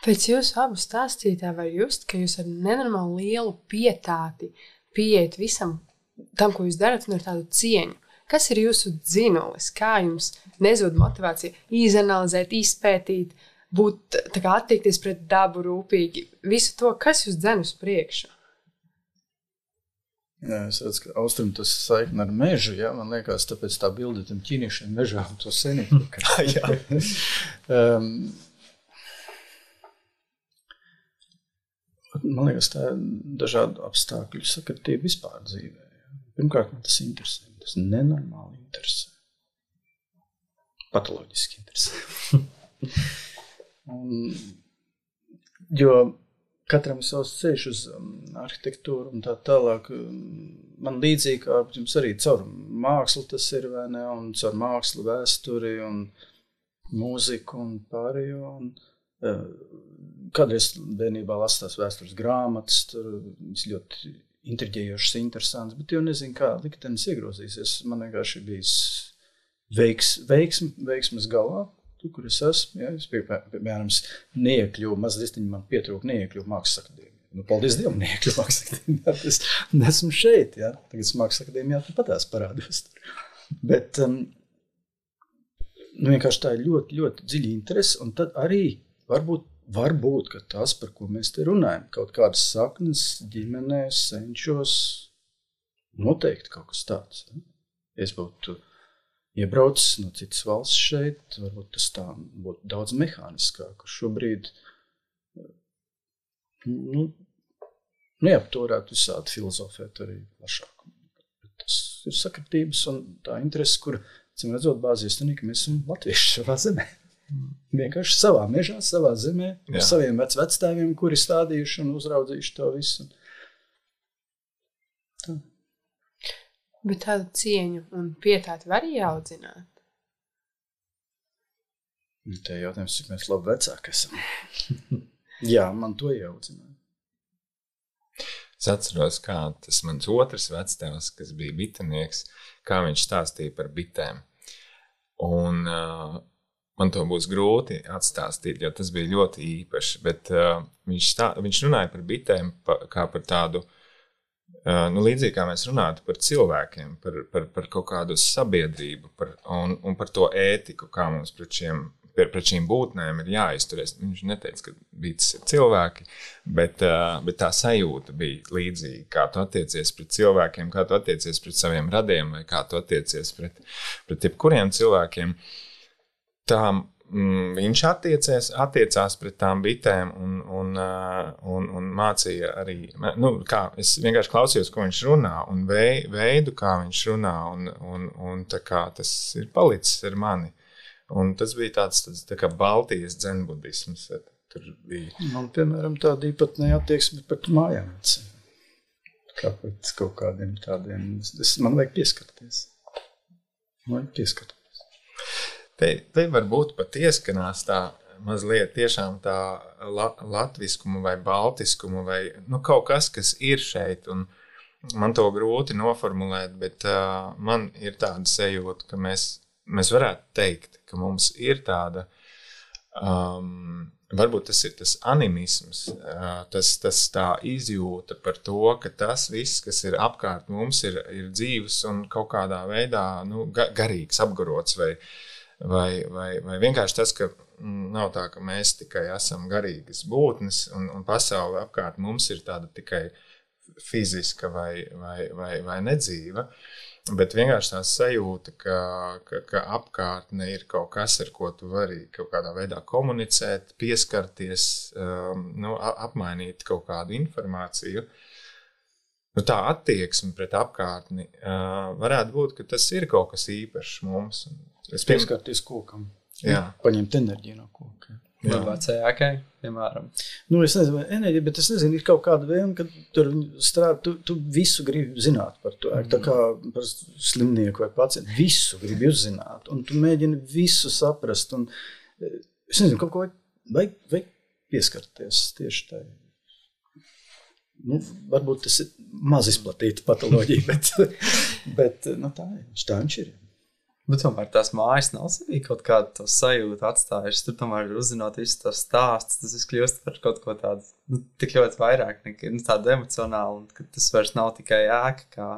Pēc jūsu abu stāstītā var just, ka jūs ar nenormāli lielu pietāti pieiet visam tam, ko jūs darat, un ar tādu cieņu. Kas ir jūsu dzinulis? Kā jums nezūd motivācija izanalizēt, izpētīt, būt tā kā attiekties pret dabu rūpīgi, visu to, kas jūs dzen uz priekšu? Jā, es redzu, ka Austrim tas saikni ar mežu, jā, man liekas, tāpēc tā bilde tam ķīniešiem mežā un to senību. Man liekas, tā ir dažādu apstākļu sakritība vispār dzīvē. Jā. Pirmkārt, man tas interesē, tas nenormāli interesē. Patoloģiski interesē. Jo katram savs ceļš uz arhitektūru un tā tālāk, man līdzīgi kā jums arī caur mākslu tas ir, vai ne, un caur mākslu vēsturi un mūziku un pārējo, un kādreiz bērnībā lasās vēstures grāmatas, tur viss ļoti intriģējošas, interesants, bet jau nezinu, kā liktenis iegrozīsies. Man vienkārši bijis veiksmes galā. Tu, kur es esmu, ja, es piemēram neiekļuvu, mazlistiņi man pietrūka neiekļuvu Mākslas akadēmijā. Paldies Dievam, neiekļuvu Mākslas akadēmijā, es nesmu šeit, ja. Tagad Mākslas akadēmijā patās parādos. Bet vienkārši tā ir ļoti, ļoti dziļa interese, un tad arī varbūt, ka tas, par ko mēs te runājam, kaut kādas saknes ģimenēs, senčos, noteikti kaut kas tāds. Ja. Es būtu iebraucis no citas valsts šeit, varbūt tas tā būtu daudz mehāniskāk. Šobrīd neapturētu visādi filozofēt arī plašāk. Tas ir sakritības un tā interese, kur, cim redzot, bāzies tā, ka mēs esam latvieši savā zemē. Vienkārši savā mežā, savā zemē, ar saviem vectēviem, kuri stādījuši un uzraudzījuši to visu. Tā. Bet tādu cieņu un pietāti var ieaudzināt? Te jautājums, cik mēs labi vecāki esam. Jā, man to ieaudzināja. Es atceros, kā tas mans otrs vectēvs, kas bija bitenieks, kā viņš stāstīja par bitēm. Un man to būs grūti atstāstīt, jo tas bija ļoti īpaši, bet viņš runāja par bitēm kā par tādu, līdzīgi kā mēs runātu par cilvēkiem, par kaut kādu sabiedrību un par to ētiku, kā mums pret šiem pret šīm būtnēm ir jāizturies. Viņš neteica, ka bītas ir cilvēki, bet tā sajūta bija līdzīga. Kā tu attiecies pret cilvēkiem, kā tu attiecies pret saviem radiem, vai kā tu attiecies pret jebkuriem cilvēkiem. Viņš attiecās pret tām bitēm un mācīja arī, es vienkārši klausījos, ko viņš runā, un veidu, kā viņš runā, un tā kā tas ir palicis ar mani. Un tas bija tāds tā kā Baltijas dzenbudisms. Tur bija. Man, piemēram, tāda īpatnēja attieksme pret mājām. Kā pret kaut kādiem tādiem. Man vajag pieskarties. Te varbūt pat ieskanās tā mazliet tiešām tā latviskuma vai baltiskuma vai kaut kas ir šeit, un man to grūti noformulēt, bet man ir tāda sajūta, ka mēs varētu teikt, ka mums ir tāda, varbūt tas ir tas animisms, tas tā izjūta par to, ka tas viss, kas ir apkārt mums, ir dzīves un kaut kādā veidā garīgs, apgarots vai vienkārši tas, ka nav tā, ka mēs tikai esam garīgas būtnes un pasaule apkārt mums ir tāda tikai fiziska vai nedzīva, bet vienkārši tā sajūta, ka apkārtne ir kaut kas, ar ko tu vari kaut kādā veidā komunicēt, pieskarties, apmainīt kaut kādu informāciju. Tā attieksme pret apkārtni varētu būt, ka tas ir kaut kas īpašs mums. Pieskarties kokam. Jā. Paņemt enerģiju no koka. Vai vecējākai, piemēram. Es nezinu, vai enerģija, bet es nezinu, ir kaut kāda vēlme, ka tur strādā, tu visu gribi zināt par to. Tā kā par slimnieku vai pacientu, visu gribi uzzināt. Un tu mēģini visu saprast. Un, es nezinu, kaut ko vajag pieskarties tieši tā. Varbūt tas ir maz izplatīta patoloģija, bet tā viņš ir. Bet tomēr tās mājas nav sevī kaut kādu to sajūtu atstājušas. Tur tomēr uzzinot visu to stāstu, tas viss kļūst par kaut ko tādu, tik ļoti vairāk nekā tādu emocionālu, un ka tas vairs nav tikai ēka kā...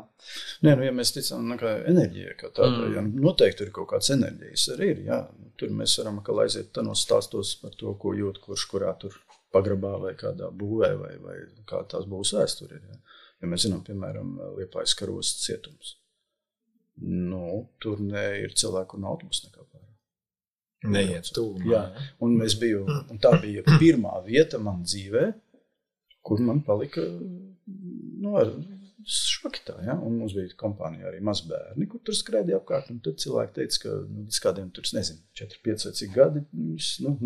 Nē, ja mēs ticam kā enerģija, kā tāda, noteikti tur ir kaut kāds enerģijas arī ir, jā. Tur mēs varam atkal aiziet tanos stāstos par to, ko jūt, kurš kurā tur pagrabā vai kādā būvē vai kā tās būs vēsture ir, jā. Ja mēs zinām, piemēram, Liepājas karostas cietums. Tur ir cilvēku un autobus nekā pārāk. Neiet tūmā. Jā, un tā bija pirmā vieta man dzīvē, kur man palika šoki tā, ja? Un mums bija kompānija arī mazbērni, kur tur skraidīja apkārt, un tad cilvēki teica, ka līdz kādiem tur, 4-5 vai cik gadi,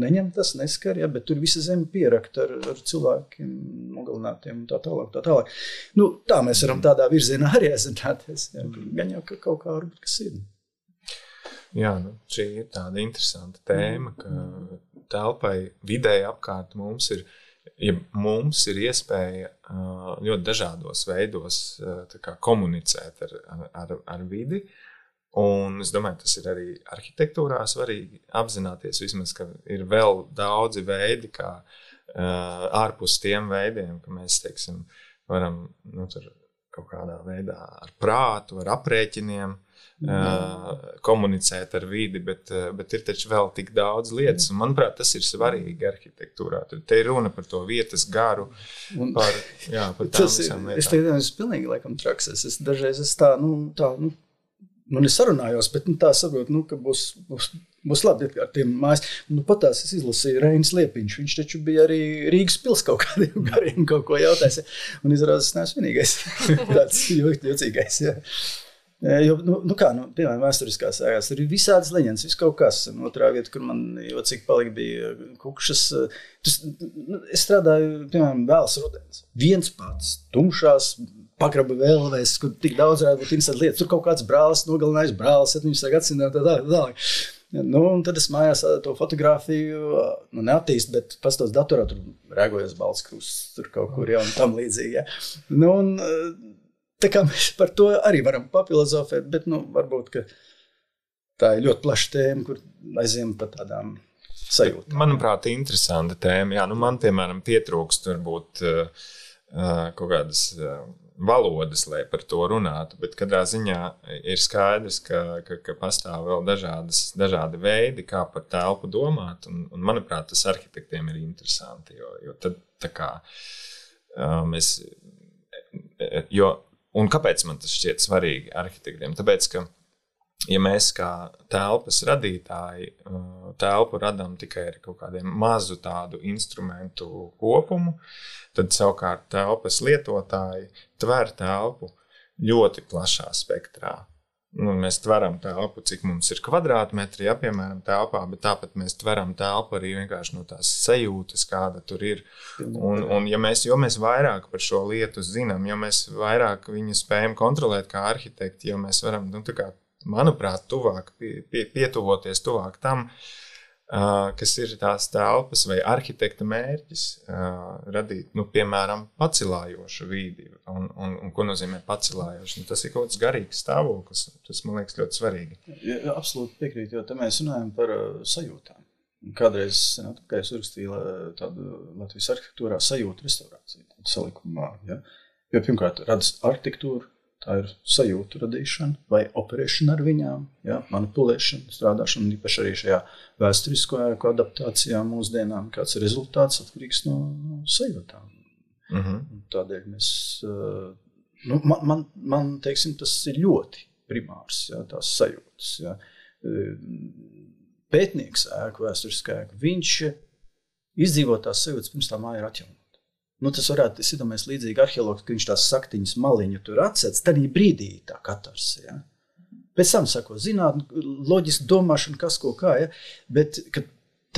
neņem tas, neskar, ja? Bet tur visa zeme pierakta ar cilvēkiem nogalinātiem un tā tālāk. Tā mēs varam tādā virzienā arī aizināties, ja? Gan jau kaut kā varbūt, kas ir. Jā, šī ir tāda interesanta tēma, ka telpai vidēji apkārt mums ir iespēja ļoti dažādos veidos komunicēt ar vidi, un es domāju, tas ir arī arhitektūrā svarīgi apzināties vismaz, ka ir vēl daudzi veidi, kā ārpus tiem veidiem, ka mēs, teiksim, varam tur kaut kādā veidā ar prātu, ar aprēķiniem komunicēt ar vidi, bet ir taču vēl tik daudz lietas, un manuprāt, tas ir svarīgi arhitektūrā. Te ir runa par to vietas garu, par tām visām lietām. Es pilnīgi laikam traks. Dažreiz man es sarunājos, bet tā saprotu, ka būs labi ar tiem mājas. Patās es izlasīju Reinis Liepiņš, viņš taču bija arī Rīgas pils kaut kādiem gariem kaut ko jautājis, un izrādās, es neesmu vienīgais tāds jocīgais, jā. Jo, piemēram, vēsturiskās ēkās ir visādas leģendas, viss kaut kas. Otrā vieta, kur man jocīgi palika, bija Kukšas. Es strādāju, piemēram, vēls rudens. Viens pats, tumšās, pagraba vēlvēs, kur tik daudz varētu būt interesanti lietas. Tur kaut kāds brālis, nogalinājis brālis, 17. gadsimtā, tā. Un tad es mājās to fotografiju, neattīst, bet pastos datorā tur rēgojas balts krusts, tur kaut kur, un tam līdzīgi, tā kā mēs par to arī varam papilozofēt, bet, varbūt, ka tā ir ļoti plaša tēma, kur aiziem par tādām sajūtām. Manuprāt, interesanta tēma. Jā, man, piemēram, pietrūkst varbūt kaut kādas valodas, lai par to runātu, bet katrā ziņā ir skaidrs, ka pastāv vēl dažādi veidi, kā par telpu domāt, un manuprāt, tas arhitektiem ir interesanti, jo tad tā kā un kāpēc man tas šķiet svarīgi arhitektiem? Tāpēc, ka ja mēs kā telpas radītāji telpu radām tikai ar kaut kādiem mazu tādu instrumentu kopumu, tad savukārt telpas lietotāji tver telpu ļoti plašā spektrā. Mēs tveram telpu, cik mums ir kvadrātmetri, piemēram, telpā, bet tāpat mēs tveram telpu arī vienkārši no tās sajūtas, kāda tur ir. Un jo mēs vairāk par šo lietu zinām, jo mēs vairāk viņu spējam kontrolēt kā arhitekti, jo mēs varam, tā kā, manuprāt, tuvāk, pietuvoties tuvāk tam, kas ir tās telpas vai arhitekta mērķis radīt, piemēram, pacilājošu vidi. Un ko nozīmē pacilājošu? Tas ir kaut kāds garīgs stāvoklis. Tas, man liekas, ļoti svarīgi. Ja, absolūti piekrīt, jo te mēs runājam par sajūtām. Kādreiz, kā es uzrakstīju tādu Latvijas arhitektūrā sajūtu restaurāciju, salikumā. Ja? Jo pirmkārt, radas arhitektūru, tā ir sajūtu radīšana vai operēšana ar viņām, ja, manipulēšana, strādāšana, īpaši arī šajā vēsturisko adaptācijā mūsdienām, kāds ir rezultāts atkarīgs no sajūtām. Tādēļ mēs, man teiksim, tas ir ļoti primārs, ja, tās sajūtas. Ja. Pētnieks ēku, vēsturiskā ēku, viņš izdzīvo tās sajūtas, pirms tā māja ir atjaunota. Tas varētu, es iedomājies līdzīgi arheologs, ka viņš tās saktiņas maliņu tur atsēc, tad brīdī tā katars, ja. Pēc tam sako zinātni, loģiski domāšana, kas ko kā, ja. Bet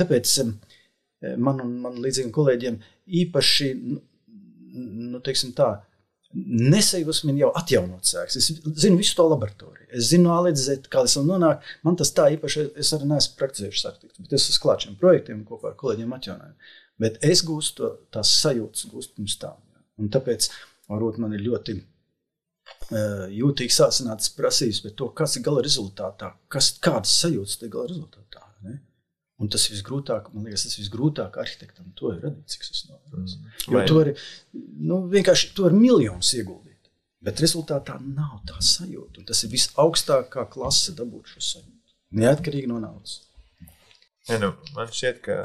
tāpēc man līdzīgiem kolēģiem īpaši, teiksim tā, nesajūsmina jau atjaunot sēks. Es zinu visu to laboratoriju. Es zinu A līdz Z, kā es vēl nonāku. Man tas tā īpaši, es arī neesmu praktizējuši arhitektu, bet es esmu klāt šiem projektiem kopā ar kolēģiem atjaunojumu. Bet es gūstu tās sajūtas gūstu pirms tām. Ja. Un tāpēc, varbūt man ir ļoti jūtīgi sāsinātas prasības par to, kas ir gala rezultātā, kādas sajūtas ir gala rezultātā. Ne? Un tas visgrūtāk, man liekas, tas visgrūtāk arhitektam to ir radīt, cik es novēros. Jo to ir, vienkārši to ir miljonus ieguldīt. Bet rezultātā nav tā sajūta. Un tas ir visaugstākā klase dabūt šo sajūtu. Neatkarīgi no naudas. Ja, man šķiet, ka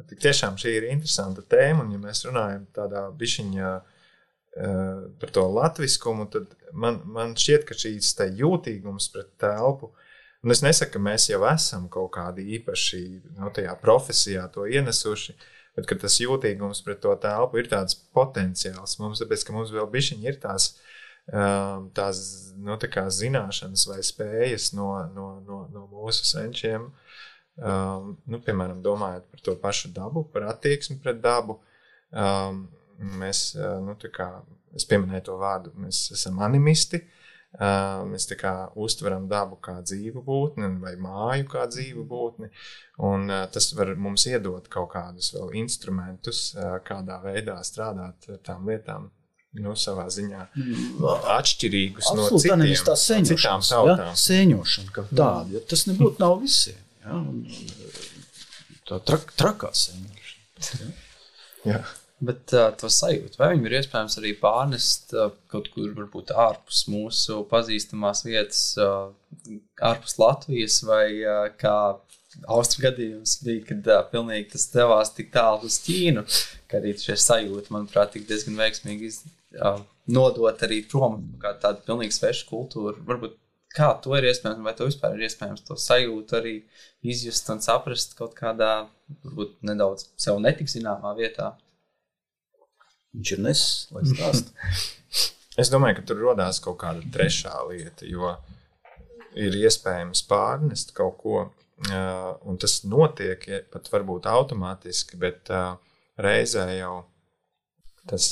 tik tiešām šī ir interesanta tēma, un ja mēs runājam tādā bišķiņā par to latviskumu, tad man šķiet, ka šīs te jūtīgums pret telpu, un es nesaku, ka mēs jau esam kaut kādi īpaši tajā profesijā to ienesuši, bet ka tas jūtīgums pret to telpu ir tāds potenciāls mums, tāpēc, ka mums vēl bišķiņi ir tās tā kā zināšanas vai spējas no mūsu senčiem, piemēram, domājot par to pašu dabu, par attieksmi pret dabu, mēs, es pieminēju to vārdu, mēs esam animisti, mēs tā kā uztveram dabu kā dzīvu būtni vai māju kā dzīvu būtni, un tas var mums iedot kaut kādus vēl instrumentus, kādā veidā strādāt ar tām lietām, savā ziņā atšķirīgus no citām tautām. Ja? Sēņošana kā tāda, ja tas nebūtu nav visiem. Ja, tā trakā sēņošana. Ja. Bet to sajūtu, vai viņu ir iespējams arī pārnest kaut kur varbūt ārpus mūsu pazīstamās vietas, ārpus Latvijas, vai kā Austru gadījums bija, kad pilnīgi tas devās tik tālu uz Ķīnu, ka arī šie sajūti, manuprāt, tik diezgan veiksmīgi nodot arī prom kā tādu pilnīgi svešu kultūru. Varbūt kā to ir iespējams, vai to vispār ir iespējams to sajūtu arī izjust un saprast kaut kādā, varbūt nedaudz sev netik zināmā vietā? Viņš ir nesis, lai stāst. Es domāju, ka tur rodās kaut kāda trešā lieta, jo ir iespējams pārnest kaut ko, un tas notiek pat varbūt automātiski, bet reizē jau tas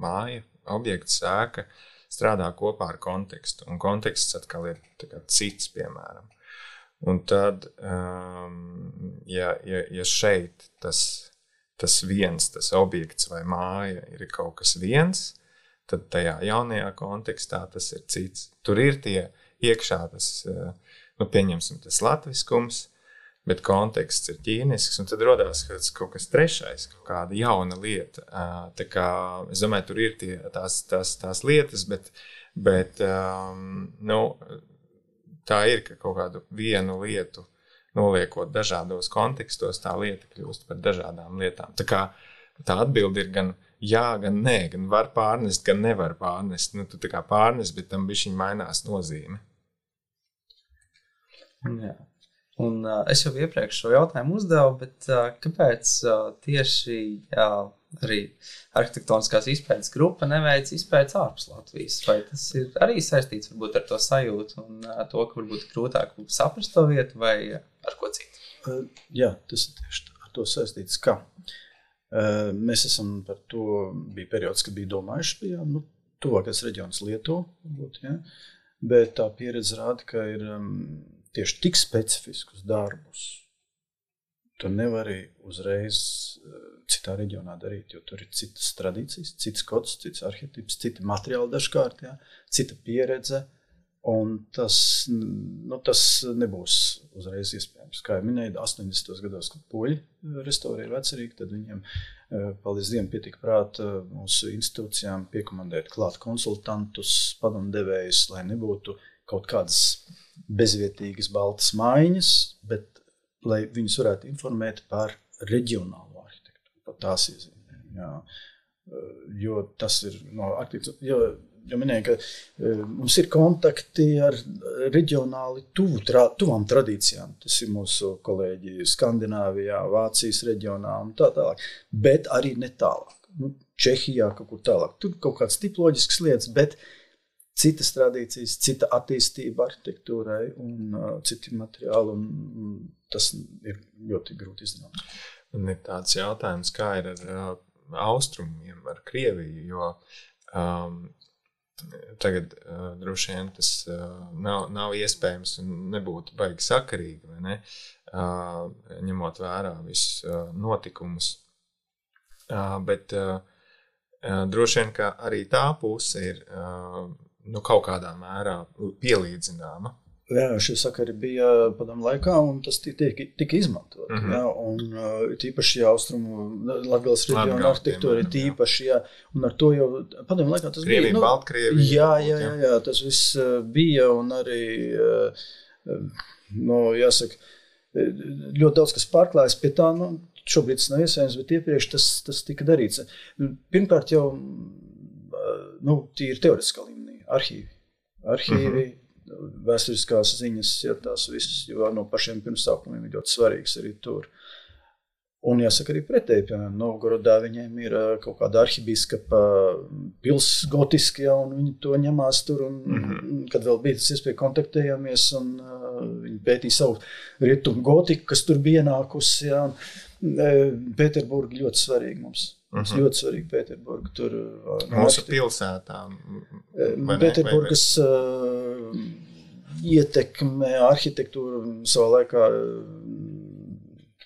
māja, objekts, ēka strādā kopā ar kontekstu, un konteksts atkal ir cits, piemēram. Un tad, ja šeit tas viens, tas objekts vai māja ir kaut kas viens, tad tajā jaunajā kontekstā tas ir cits. Tur ir tie iekšā tas, pieņemsim, tas latviskums, bet konteksts ir ķīnisks, un tad rodās kaut kas trešais, kaut kāda jauna lieta. Tā kā, es domāju, tur ir tās lietas, bet tā ir, ka kaut kādu vienu lietu noliekot dažādos kontekstos, tā lieta kļūst par dažādām lietām. Tā kā tā atbilde ir gan jā, gan nē, gan var pārnest, gan nevar pārnest. Tu tā kā pārnest, bet tam bišķiņ mainās nozīme. Jā. Un es jau iepriekš šo jautājumu uzdevu, bet kāpēc tieši arī arhitektoniskās izpētes grupa neveic izpētes ārpus Latvijas? Vai tas ir arī saistīts varbūt ar to sajūtu un to, ka varbūt grūtāk saprast to vietu vai ar ko citu? Jā, tas ir tieši ar to saistīts, ka mēs esam par to, bija periods, kad bija domājuši, bija tuvākais reģions Lietuva, varbūt, ja? Bet tā pieredze rāda, ka ir tieši tik specifiskus darbus tu nevari uzreiz citā reģionā darīt, jo tur ir citas tradīcijas, cits kods, cits arhetips, citi materiāli dažkārt, ja? Cita pieredze, un tas nebūs uzreiz iespējams. Kā jau minēju, 80. gados, kad poļi restaurēja vecerīgi, tad viņiem paldies Dievam pietika prāta mūsu institūcijām piekomandēt klāt konsultantus, padomdevējus, lai nebūtu kaut kādas bezvietīgas baltas maiņas, bet lai viņus varētu informēt par reģionālo arhitektūru, par tās iezīmēm. Jā. Jo tas ir no arhitektūra, jo minēju, ka mums ir kontakti ar reģionāli tuvām tradīcijām. Tas ir mūsu kolēģi Skandināvijā, Vācijas reģionā un tā tālāk, bet arī ne tālāk. Čehijā kaut kur tālāk. Tur kaut kāds tipoloģisks lietas, bet citas tradīcijas, cita attīstība arhitektūrai un citi materiāli, un tas ir ļoti grūti izdarīt. Un ir tāds jautājums, kā ir ar austrumiem, ar Krieviju, jo tagad droši vien tas nav iespējams un nebūtu baigi sakarīgi, vai ne? Ņemot vērā visus notikumus. Bet droši vien, ka arī tā puse ir kaut kādā mērā pielīdzināma. Jā, šie sakari bija padomu laikā, un tas tika izmantot. Jā, un tīpaši austrumu Latgales reģiona arhitektūra ir tīpaši, jā, un ar to jau padomu laikā tas Krievija, bija. Baltkrievija. Jā, tas viss bija, un arī, jāsaka, ļoti daudz, kas pārklājas pie tā, šobrīd tas nav iespējams, bet iepriekš tas tika darīts. Pirmkārt jau, tīri teoretiskā līmenī, arhīvi, vēsturiskās ziņas, ja tās visas, jo no pašiem pirmsākumiem ir ļoti svarīgs arī tur. Un jāsaka arī pretēji, piemēram, Novgorodā viņiem ir kaut kāda arhibīskapa pils gotiski, un viņi to ņemās tur, un kad vēl bija tas iespēja kontaktējāmies, un viņi pētīja savu rietumu gotiku, kas tur bija ienākusi, ja, un Pēterburga ļoti svarīgi mums. Mums ļoti svarīgi Pēterburga. Tur mūsu pilsētām. Pēterburgas ietekme arhitektūru savā laikā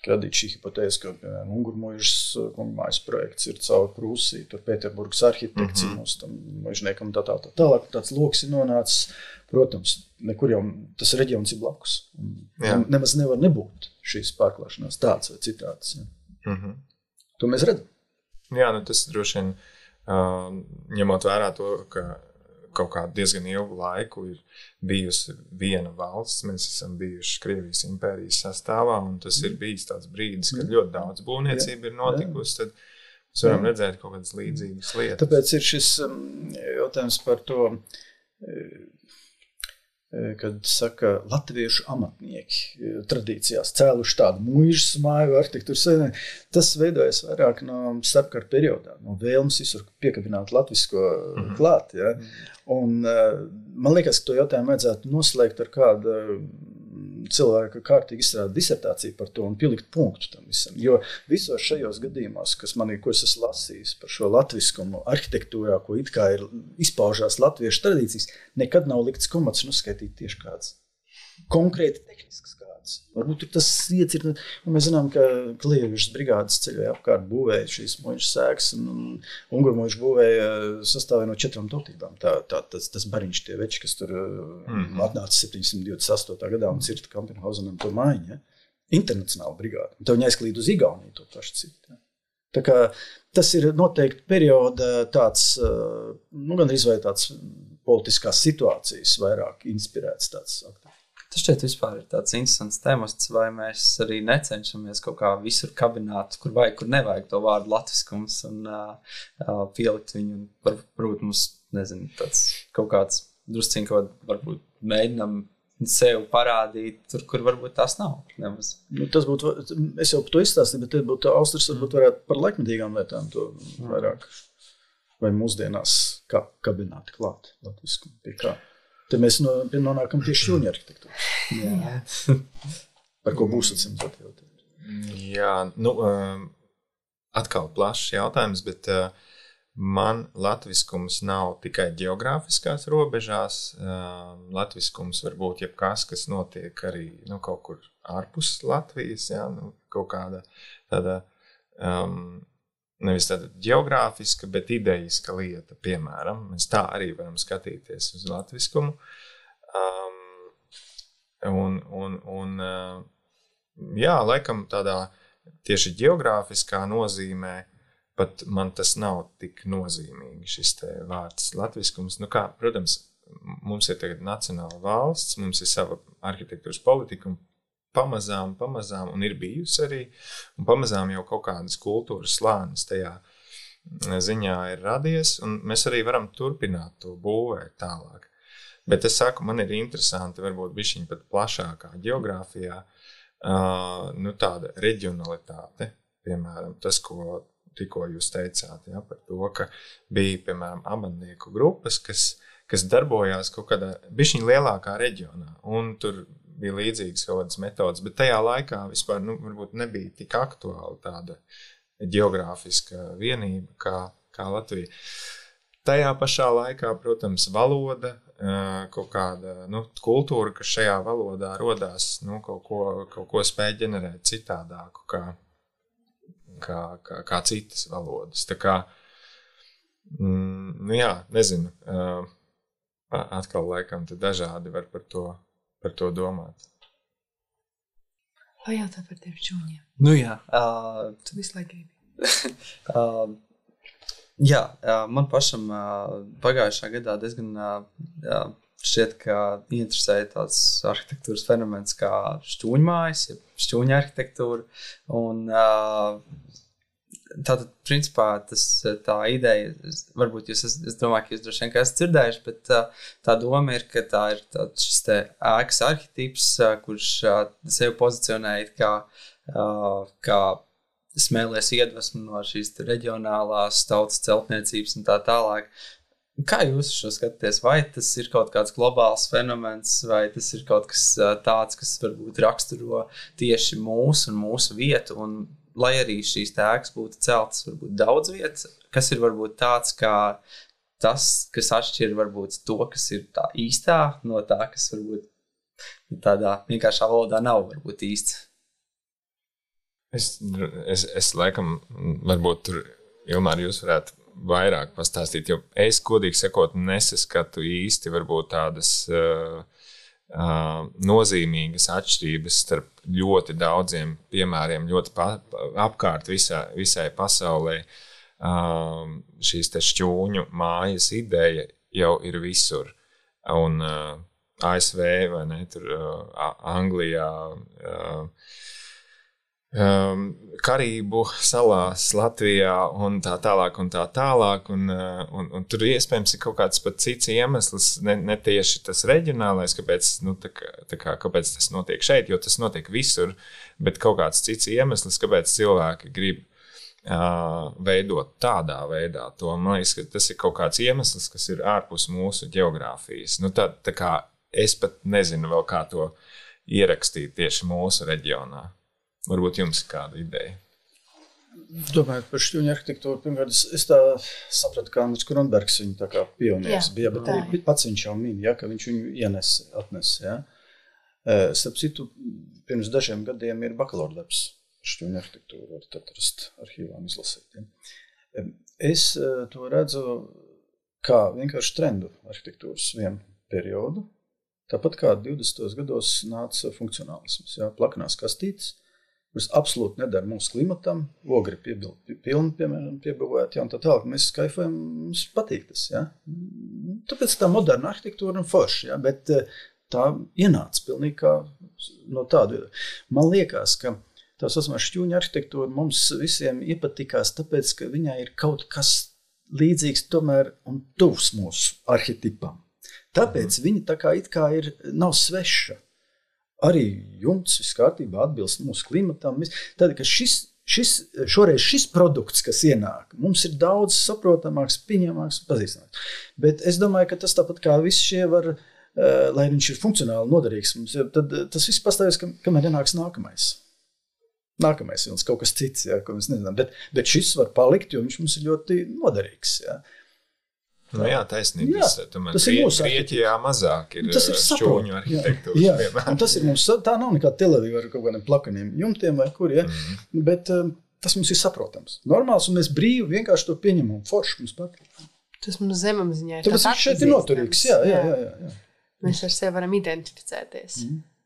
radīt šī hipotēze, ka, piemēram, Ungurmuižas kungmājas projekts ir caur Prūsiju, tur Pēterburgas arhitekts ir mūsu tam muižniekam tālāk. Tāds loks ir nonācis, protams, nekur jau tas reģions ir blakus. Nemaz nevar nebūt šīs pārklāšanās tāds vai citāds. Ja. To mēs redzam. Jā, tas droši vien, ņemot vērā to, ka kaut kādu diezgan ilgu laiku ir bijusi viena valsts, mēs esam bijuši Krievijas impērijas sastāvā, un tas ir bijis tāds brīdis, kad ļoti daudz būvniecība ir notikusi, tad mēs varam redzēt kaut kādas līdzīgas lietas. Tāpēc ir šis jautājums par to, kad saka, latviešu amatnieki tradīcijās cēluši tādu muižas māju arhitektūru, tas veidojas vairāk no starpkara periodā, no vēlmes visur piekabināt latvisko klāt. Ja? Un man liekas, ka to jautājumu vajadzētu noslēgt ar kādu cilvēku kārtīgi izstrādāt disertāciju par to un pielikt punktu tam visam. Jo visos šajos gadījumos, ko es esmu lasījis par šo latviskumu arhitektūrā, ko it kā ir izpaužās latviešu tradīcijas, nekad nav likts komats un uzskaitīt tieši kāds konkrēti tehnisks kāds. Varbūt tas iets ir, un mēs zinām, ka Klieviešu brigādes ceļoja apkārt būvēja šīs muižas sēkas, un Ungurmuižu būvēja sastāvēja no 4 tautībām. Tas bariņš tie veči, kas tur atnāca 728. gadā un cirta Kampenhausenam to mājiņu. Ja? internacionāla brigāde. Tev jāizklīd uz Igauniju to pašu citu. Ja. Tā kā tas ir noteikti perioda tāds, gandrīz vai tāds politiskās situācijas vairāk inspirēts tāds aktīvs. Tas šķiet vispār ir tāds interesants temats, vai mēs arī necenšamies kaut kā visur kabināt, kur vajag, kur nevajag to vārdu latviskums un pielikt viņu, varbūt mums, nezinu, tāds kaut kāds drusciņ, ko varbūt mēģinam sev parādīt, tur, kur varbūt tās nav. Nemaz. Tas būtu, es jau par to izstāstīju, bet būtu Austras varbūt varētu par laikmetīgām lietām to vairāk, vai mūsdienās kabināt klāt latviskumu pie kā. Te mēs nonākam pie šķūņa arhitektūras. Par ko būs atsimzot jau? Jā, atkal plašs jautājums, bet man latviskums nav tikai geogrāfiskās robežās. Latviskums var būt jebkas, kas notiek arī kaut kur ārpus Latvijas, jā, kaut kāda tāda, nevis tāda geogrāfiska, bet idejiska lieta, piemēram. Mēs tā arī varam skatīties uz latviskumu. Jā, laikam tādā tieši geogrāfiskā nozīmē pat man tas nav tik nozīmīgi, šis te vārds latviskums. Protams, mums ir tagad nacionāla valsts, mums ir sava arhitektūras politika, un pamazām, un ir bijusi arī, un pamazām jau kaut kādas kultūras slānis tajā ziņā ir radies, un mēs arī varam turpināt to būvēt tālāk. Bet es saku, man ir interesanti, varbūt bišķiņ pat plašākā geogrāfijā, tāda reģionalitāte, piemēram, tas, ko tikko jūs teicāt, ja, par to, ka bija, piemēram, amatnieku grupas, kas darbojās kaut kādā bišķiņ lielākā reģionā, un tur bija līdzīgas kaut kādas metodas, bet tajā laikā vispār, varbūt nebija tik aktuāla tāda geogrāfiska vienība kā Latvija. Tajā pašā laikā, protams, valoda, kaut kāda kultūra, kas šajā valodā rodās, kaut ko spēj ģenerēt citādāku, kā citas valodas. Tā kā, jā, nezinu, atkal laikam te dažādi var par to domāt. Vai jautā par tiem šķūņiem? Jā. Tu visu laiku gribi. Jā, man pašam pagājušā gadā diezgan šķiet, ka interesēja tāds arhitektūras fenomens kā šķūņmājas, šķūņa arhitektūra. Un tātad, principā, tā ideja, varbūt es domāju, ka jūs droši vien esat dzirdējuši, bet tā doma ir, ka tā ir šis te ēkas arhitīps, kurš sevi pozicionēja kā smēlies iedvesmu no šīs reģionālās tautas celtniecības un tā tālāk. Kā jūs šo skatāties? Vai tas ir kaut kāds globāls fenomens, vai tas ir kaut kas tāds, kas varbūt raksturo tieši mūsu un mūsu vietu, un lai arī šīs ēkas būtu celtas varbūt daudz vietas, kas ir varbūt tāds kā tas, kas atšķir varbūt to, kas ir tā īstā, no tā, kas varbūt tādā vienkāršā valodā nav varbūt īsts? Es laikam, varbūt tur, Ilmār, jūs varētu vairāk pastāstīt, jo es, godīgi sakot, nesaskatu īsti varbūt tādas nozīmīgas atšķirības starp ļoti daudziem piemēriem, ļoti apkārt visai pasaulē. Šīs te šķūņu mājas ideja jau ir visur. Un ASV, vai ne, tur Anglijā, Karību salās, Latvijā un tā tālāk, un tur iespējams ir kaut kāds pat cits iemesls, ne tieši tas reģionālais, kāpēc, kāpēc tas notiek šeit, jo tas notiek visur, bet kaut kāds cits iemesls, kāpēc cilvēki grib veidot tādā veidā to. Man liekas, ka tas ir kaut kāds iemesls, kas ir ārpus mūsu geogrāfijas. Tā kā es pat nezinu vēl, kā to ierakstīt tieši mūsu reģionā. Varbūt jums ir kāda ideja? Domājot par šķūņu arhitektūru, pirmkārt, es tā sapratu, kā Andris Kronbergs viņu tā kā pionieris bija, bet arī pats viņš jau min, ka viņš viņu atnesa. Ja? Starp citu, pirms dažiem gadiem ir bakalaura darbs par šķūņu arhitektūru, varat atrast arhīvām izlasīt. Ja? Es to redzu kā vienkārši trendu arhitektūras vienu periodu, tāpat kā 20. gados nāca funkcionālisms, ja? Plakanās kastītes. kas absolūti nedara mūsu klimatam, ogri pilni, piemēram, piebūvēti, un tā tālāk. Mēs kaifojam, mums patīk tas, ja? Tāpēc tā moderna arhitektūra un forši, ja? Bet tā ienāca pilnīgi kā no tādu. Man liekas, ka tā saucamā šķūņa arhitektūra mums visiem iepatikās, tāpēc, ka viņai ir kaut kas līdzīgs tomēr un tuvs mūsu arhetipam. Tāpēc viņa tā kā it kā nav sveša. Arī jumts viss kārtībā atbilst mūsu klimatam. Tad, ka šoreiz šis produkts, kas ienāk, mums ir daudz saprotamāks, pieņemāks un pazīstamāks. Bet es domāju, ka tas tāpat kā viss šie var, lai viņš ir funkcionāli noderīgs, tad tas viss pastāvēs, kamēr ienāks nākamais. Nākamais ir kaut kas cits, ja, ko mēs nezinām. Bet šis var palikt, jo viņš mums ir ļoti noderīgs. Ja. Nu jā, taisnība. Tas ir mūsu Grieķijā mazāk ir šķūņu arhitektūras. Jā, un tas ir mums, tā nav nekā Tel-Aviva ar kaut kādiem plakaniem jumtiem vai kur, ja? Bet tas mums ir saprotams. Normāls, un mēs brīvi vienkārši to pieņemam. Forši mums patīk. Tas mums zemapziņā ir tāpēc viņš šeit ir noturīgs. Jā. Mēs ar sevi varam identificēties.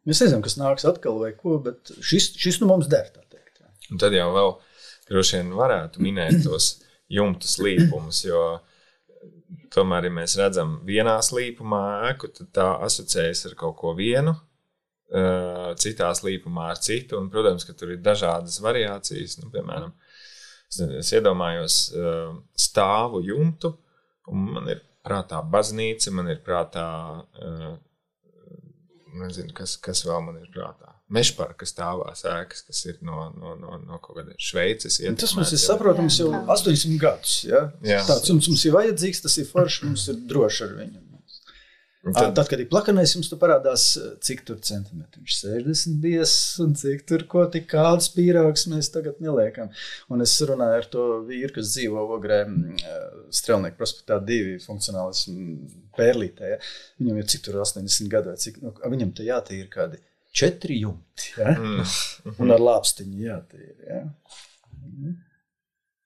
Mēs nezinām, kas nāks atkal vai ko, bet šis nu mums der, tā teikt. Jā. Un tad jau vēl droši vien varētu minēt tos jumtu slīpumus, jo tomēr, ja mēs redzam vienā slīpumā ēku, tad tā asociējas ar kaut ko vienu, citā slīpumā ar citu, un, protams, ka tur ir dažādas variācijas. Nu, piemēram, es iedomājos stāvu jumtu, un man ir prātā baznīca, man ir prātā, nezinu, kas vēl man ir prātā. Mežparka stāvās ēkas, kas ir no kaut kāda Šveices ietekmēts. Tas mums ir saprotams jau 80 gadus. Ja? Tāds jums ir vajadzīgs, tas ir forši, mums ir droši ar viņu. Tad, kad ir plakanais, jums tu parādās, cik tur centimetri. Viņš 60 bies un cik tur ko tik kāds pīrāks mēs tagad neliekam. Un es runāju ar to vīru, kas dzīvo Ogrē Strelnieku prospektā 2 funkcionālis Pērlītē. Ja? Viņam ir cik tur 80 gadu vai cik, viņam te jātīra kādi 4 jumti, ja? Un ar lāpstiņu jātīra. Ja?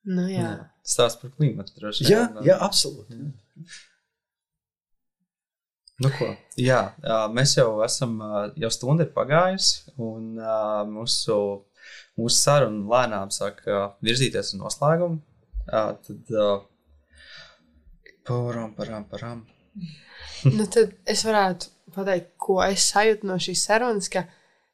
Nu jā. Stāsts par klimatu droši. Jā, absolūti. Nu ko, jā, mēs jau esam, jau stunda ir pagājusi, un mūsu saruna lēnām sāk virzīties uz noslēgumu. Tad param. Nu tad es varētu pateikt, ko es sajūtu no šīs sarunas, ka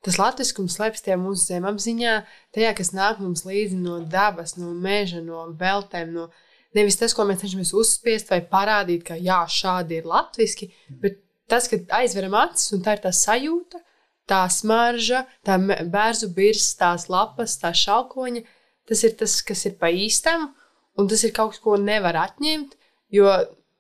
tas latviskums slēpjas tajā mūsu zemapziņā, tajā, kas nāk mums līdzi no dabas, no meža, no veltēm, no nevis tas, ko mēs cenšamies uzspiest vai parādīt, ka jā, šādi ir latviski, bet tas, kad aizveram acis un tā ir tā sajūta, tā smarža, tā bērzu birs, tās lapas, tā šalkoņa, tas ir tas, kas ir pa īstam, un tas ir kaut kas, ko nevar atņemt, jo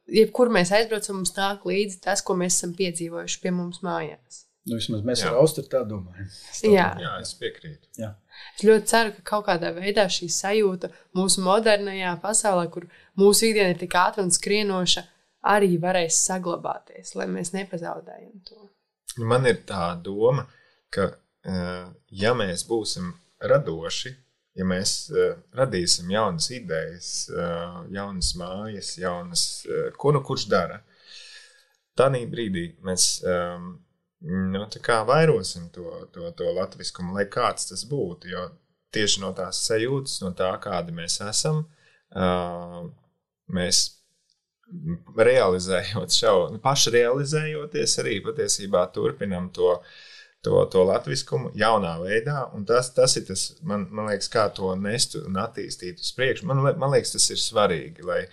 jebkur mēs aizbraucam, mums nāk līdzi tas, ko mēs esam piedzīvojuši pie mums mājās. Nu, vismaz mēs ar Austru tā domājam. Jā, es piekrītu. Jā. Es ļoti ceru, ka kaut kādā veidā šī sajūta mūsu modernajā pasaulē, kur mūsu ikdiena ir tik ātra un skrienoša, arī varēs saglabāties, lai mēs nepazaudējam to. Man ir tā doma, ka ja mēs būsim radoši, ja mēs radīsim jaunas idejas, jaunas mājas, jaunas, ko nu kurš dara, tādā brīdī mēs tā kā vairosim to latviskumu, lai kāds tas būtu, jo tieši no tās sajūtas, no tā, kādi mēs esam, mēs realizējot pašrealizējoties arī patiesībā turpinam to latviskumu jaunā veidā, un tas ir tas, man liekas, kā to nest un attīstīt uz priekšu. Man liekas, tas ir svarīgi, lai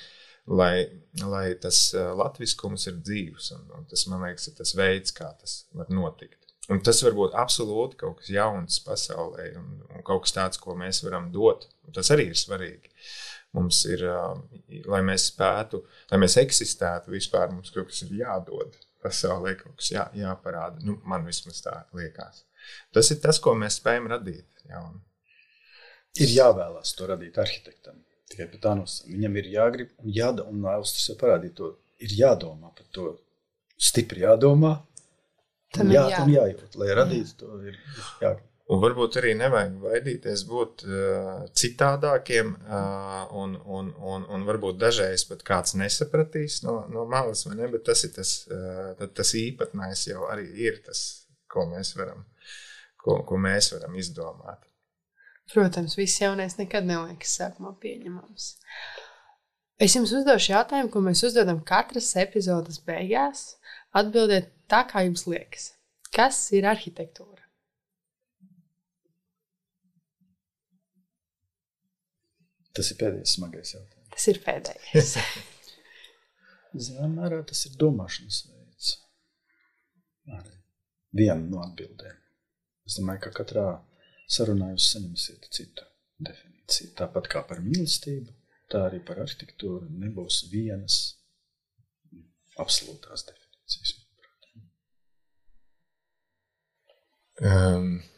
tas latviskums ir dzīvs, un tas, man liekas, ir tas veids, kā tas var notikt. Un tas var būt absolūti kaut kas jauns pasaulē, un kaut kas tāds, ko mēs varam dot, un tas arī ir svarīgi. Mums ir, lai mēs spētu, lai mēs eksistētu vispār, mums kaut kas ir jādod pasaulē, kaut kas jāparāda. Nu, man vismaz tā liekas. Tas ir tas, ko mēs spējam radīt. Ir jāvēlās to radīt arhitektam. Tikai par tā nosacījumu. Viņam ir jāgrib un jādomā, un Austris jau parādīja to, ir jādomā par to, stipri jādomā, un jājūt, lai radītu to ir jāgrib. Un varbūt arī nevajag vaidīties būt citādākiem, un varbūt dažreiz pat kāds nesapratīs no malas, vai ne, bet tas ir tas īpatnējs jau arī ir tas, ko mēs varam izdomāt. Protams, viss jaunais nekad neliekas sākumā pieņemams. Es jums uzdošu jautājumu, ko mēs uzdodam katras epizodes beigās. Atbildiet tā, kā jums liekas. Kas ir arhitektūra? Tas ir pēdējais smagais jautājums. Tas ir pēdējais. Zināmā mērā tas ir domāšanas veids. Arī viena no atbildēm. Es domāju, ka katrā sarunā jūs saņemsiet citu definīciju. Tāpat kā par mīlestību, tā arī par arhitektūru nebūs vienas absolūtās definīcijas.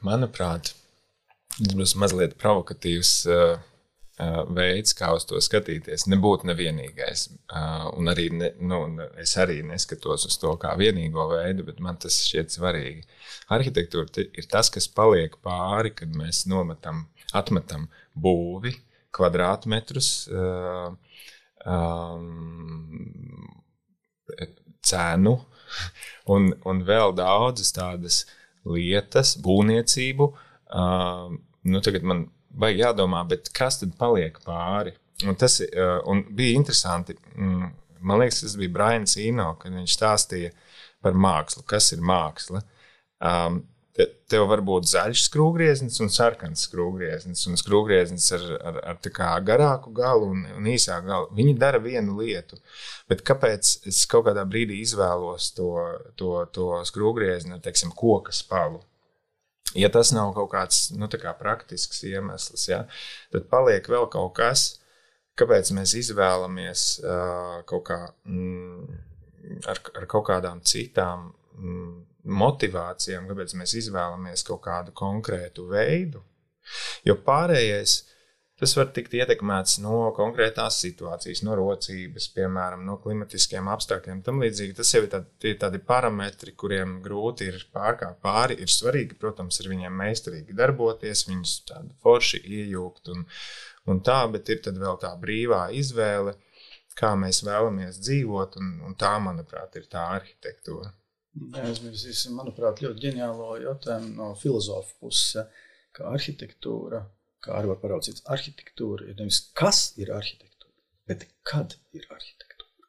Manuprāt, tas būs mazliet provokatīvs veids, kā uz to skatīties. Nebūtu nevienīgais. Un arī es arī neskatos uz to kā vienīgo veidu, bet man tas šķiet svarīgi. Arhitektūra ir tas, kas paliek pāri, kad mēs atmetam būvi, kvadrātmetrus, cenu un vēl daudzas tādas lietas, būvniecību. Tagad man vajag jādomā, bet kas tad paliek pāri? Un bija interesanti, man liekas, tas bija Brians Eno, kad viņš stāstīja par mākslu. Kas ir māksla? Tev var būt zaļš skrūvgrieznis un sarkans skrūvgrieznis, un skrūvgrieznis ar tā kā garāku galu un īsāku galu. Viņi dara vienu lietu, bet kāpēc es kaut kādā brīdī izvēlos to skrūvgriezni ar, teiksim, koka spalu? Ja tas nav kaut kāds, tā kā praktisks iemesls, ja, tad paliek vēl kaut kas, kāpēc mēs izvēlamies kaut kā ar kaut kādām citām motivācijām, kāpēc mēs izvēlamies kaut kādu konkrētu veidu. Jo pārējais, tas var tikt ietekmēts no konkrētās situācijas, no rocības, piemēram, no klimatiskiem apstākļiem. Tam līdzīgi tas jau ir tādi parametri, kuriem grūti ir pārkāpt pāri. Ir svarīgi, protams, ar viņiem meistarīgi darboties, viņus tādi forši iejūgt un tā, bet ir tad vēl tā brīvā izvēle, kā mēs vēlamies dzīvot, un tā, manuprāt, ir tā arhitektūra. Neaizmirsīsim, manuprāt, ļoti ģeniālo jautājumu no filozofa puses, ka arhitektūra, kā arī var paraudzīt, arhitektūra ir nevis kas ir arhitektūra, bet kad ir arhitektūra.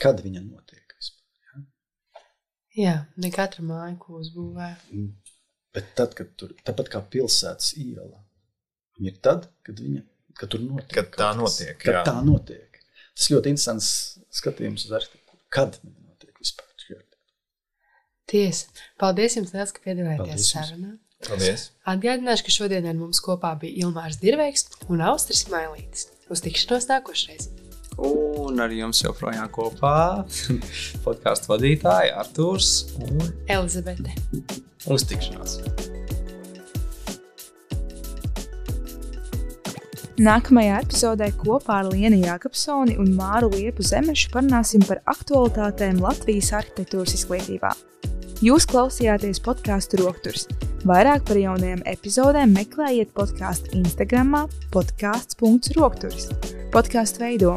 Kad viņa notiek vispār, ja? Jā, ne katra māja, ko uzbūvē. Bet tad, kad tāpat kā pilsētas iela, viņa ir tad, kad tur notiek. Kad tā notiek, jā. Kad tā notiek. Tas ļoti interesants skatījums uz arhitektūru. Kad viņa notiek vispār? Tiesa. Paldies jums liels, ka piedalījāties sarunā. Paldies. Atgādināšu, ka šodien ar mums kopā bija Ilmārs Dirveiks un Austris Mailītis. Uz tikšanos nākošreiz. Un ar jums joprojām kopā podcastu vadītāji Artūrs un Elizabete. Uz tikšanos. Nākamajā epizodē kopā ar Lienu Jākapsoni un Māru Liepu Zemešu parunāsim par aktualitātēm Latvijas arhitektūras izglītībā. Jūs klausījāties podcastu Rokturs. Vairāk par jaunajām epizodēm meklējiet podcastu Instagramā podcasts.rokturs. Podcastu veido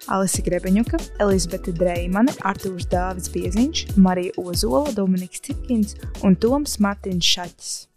Alise Grebeņuka, Elizabete Dreimane, Artūrs Dāvids Bieziņš, Marija Ozola, Dominiks Cipkins un Toms Martins Šaķis.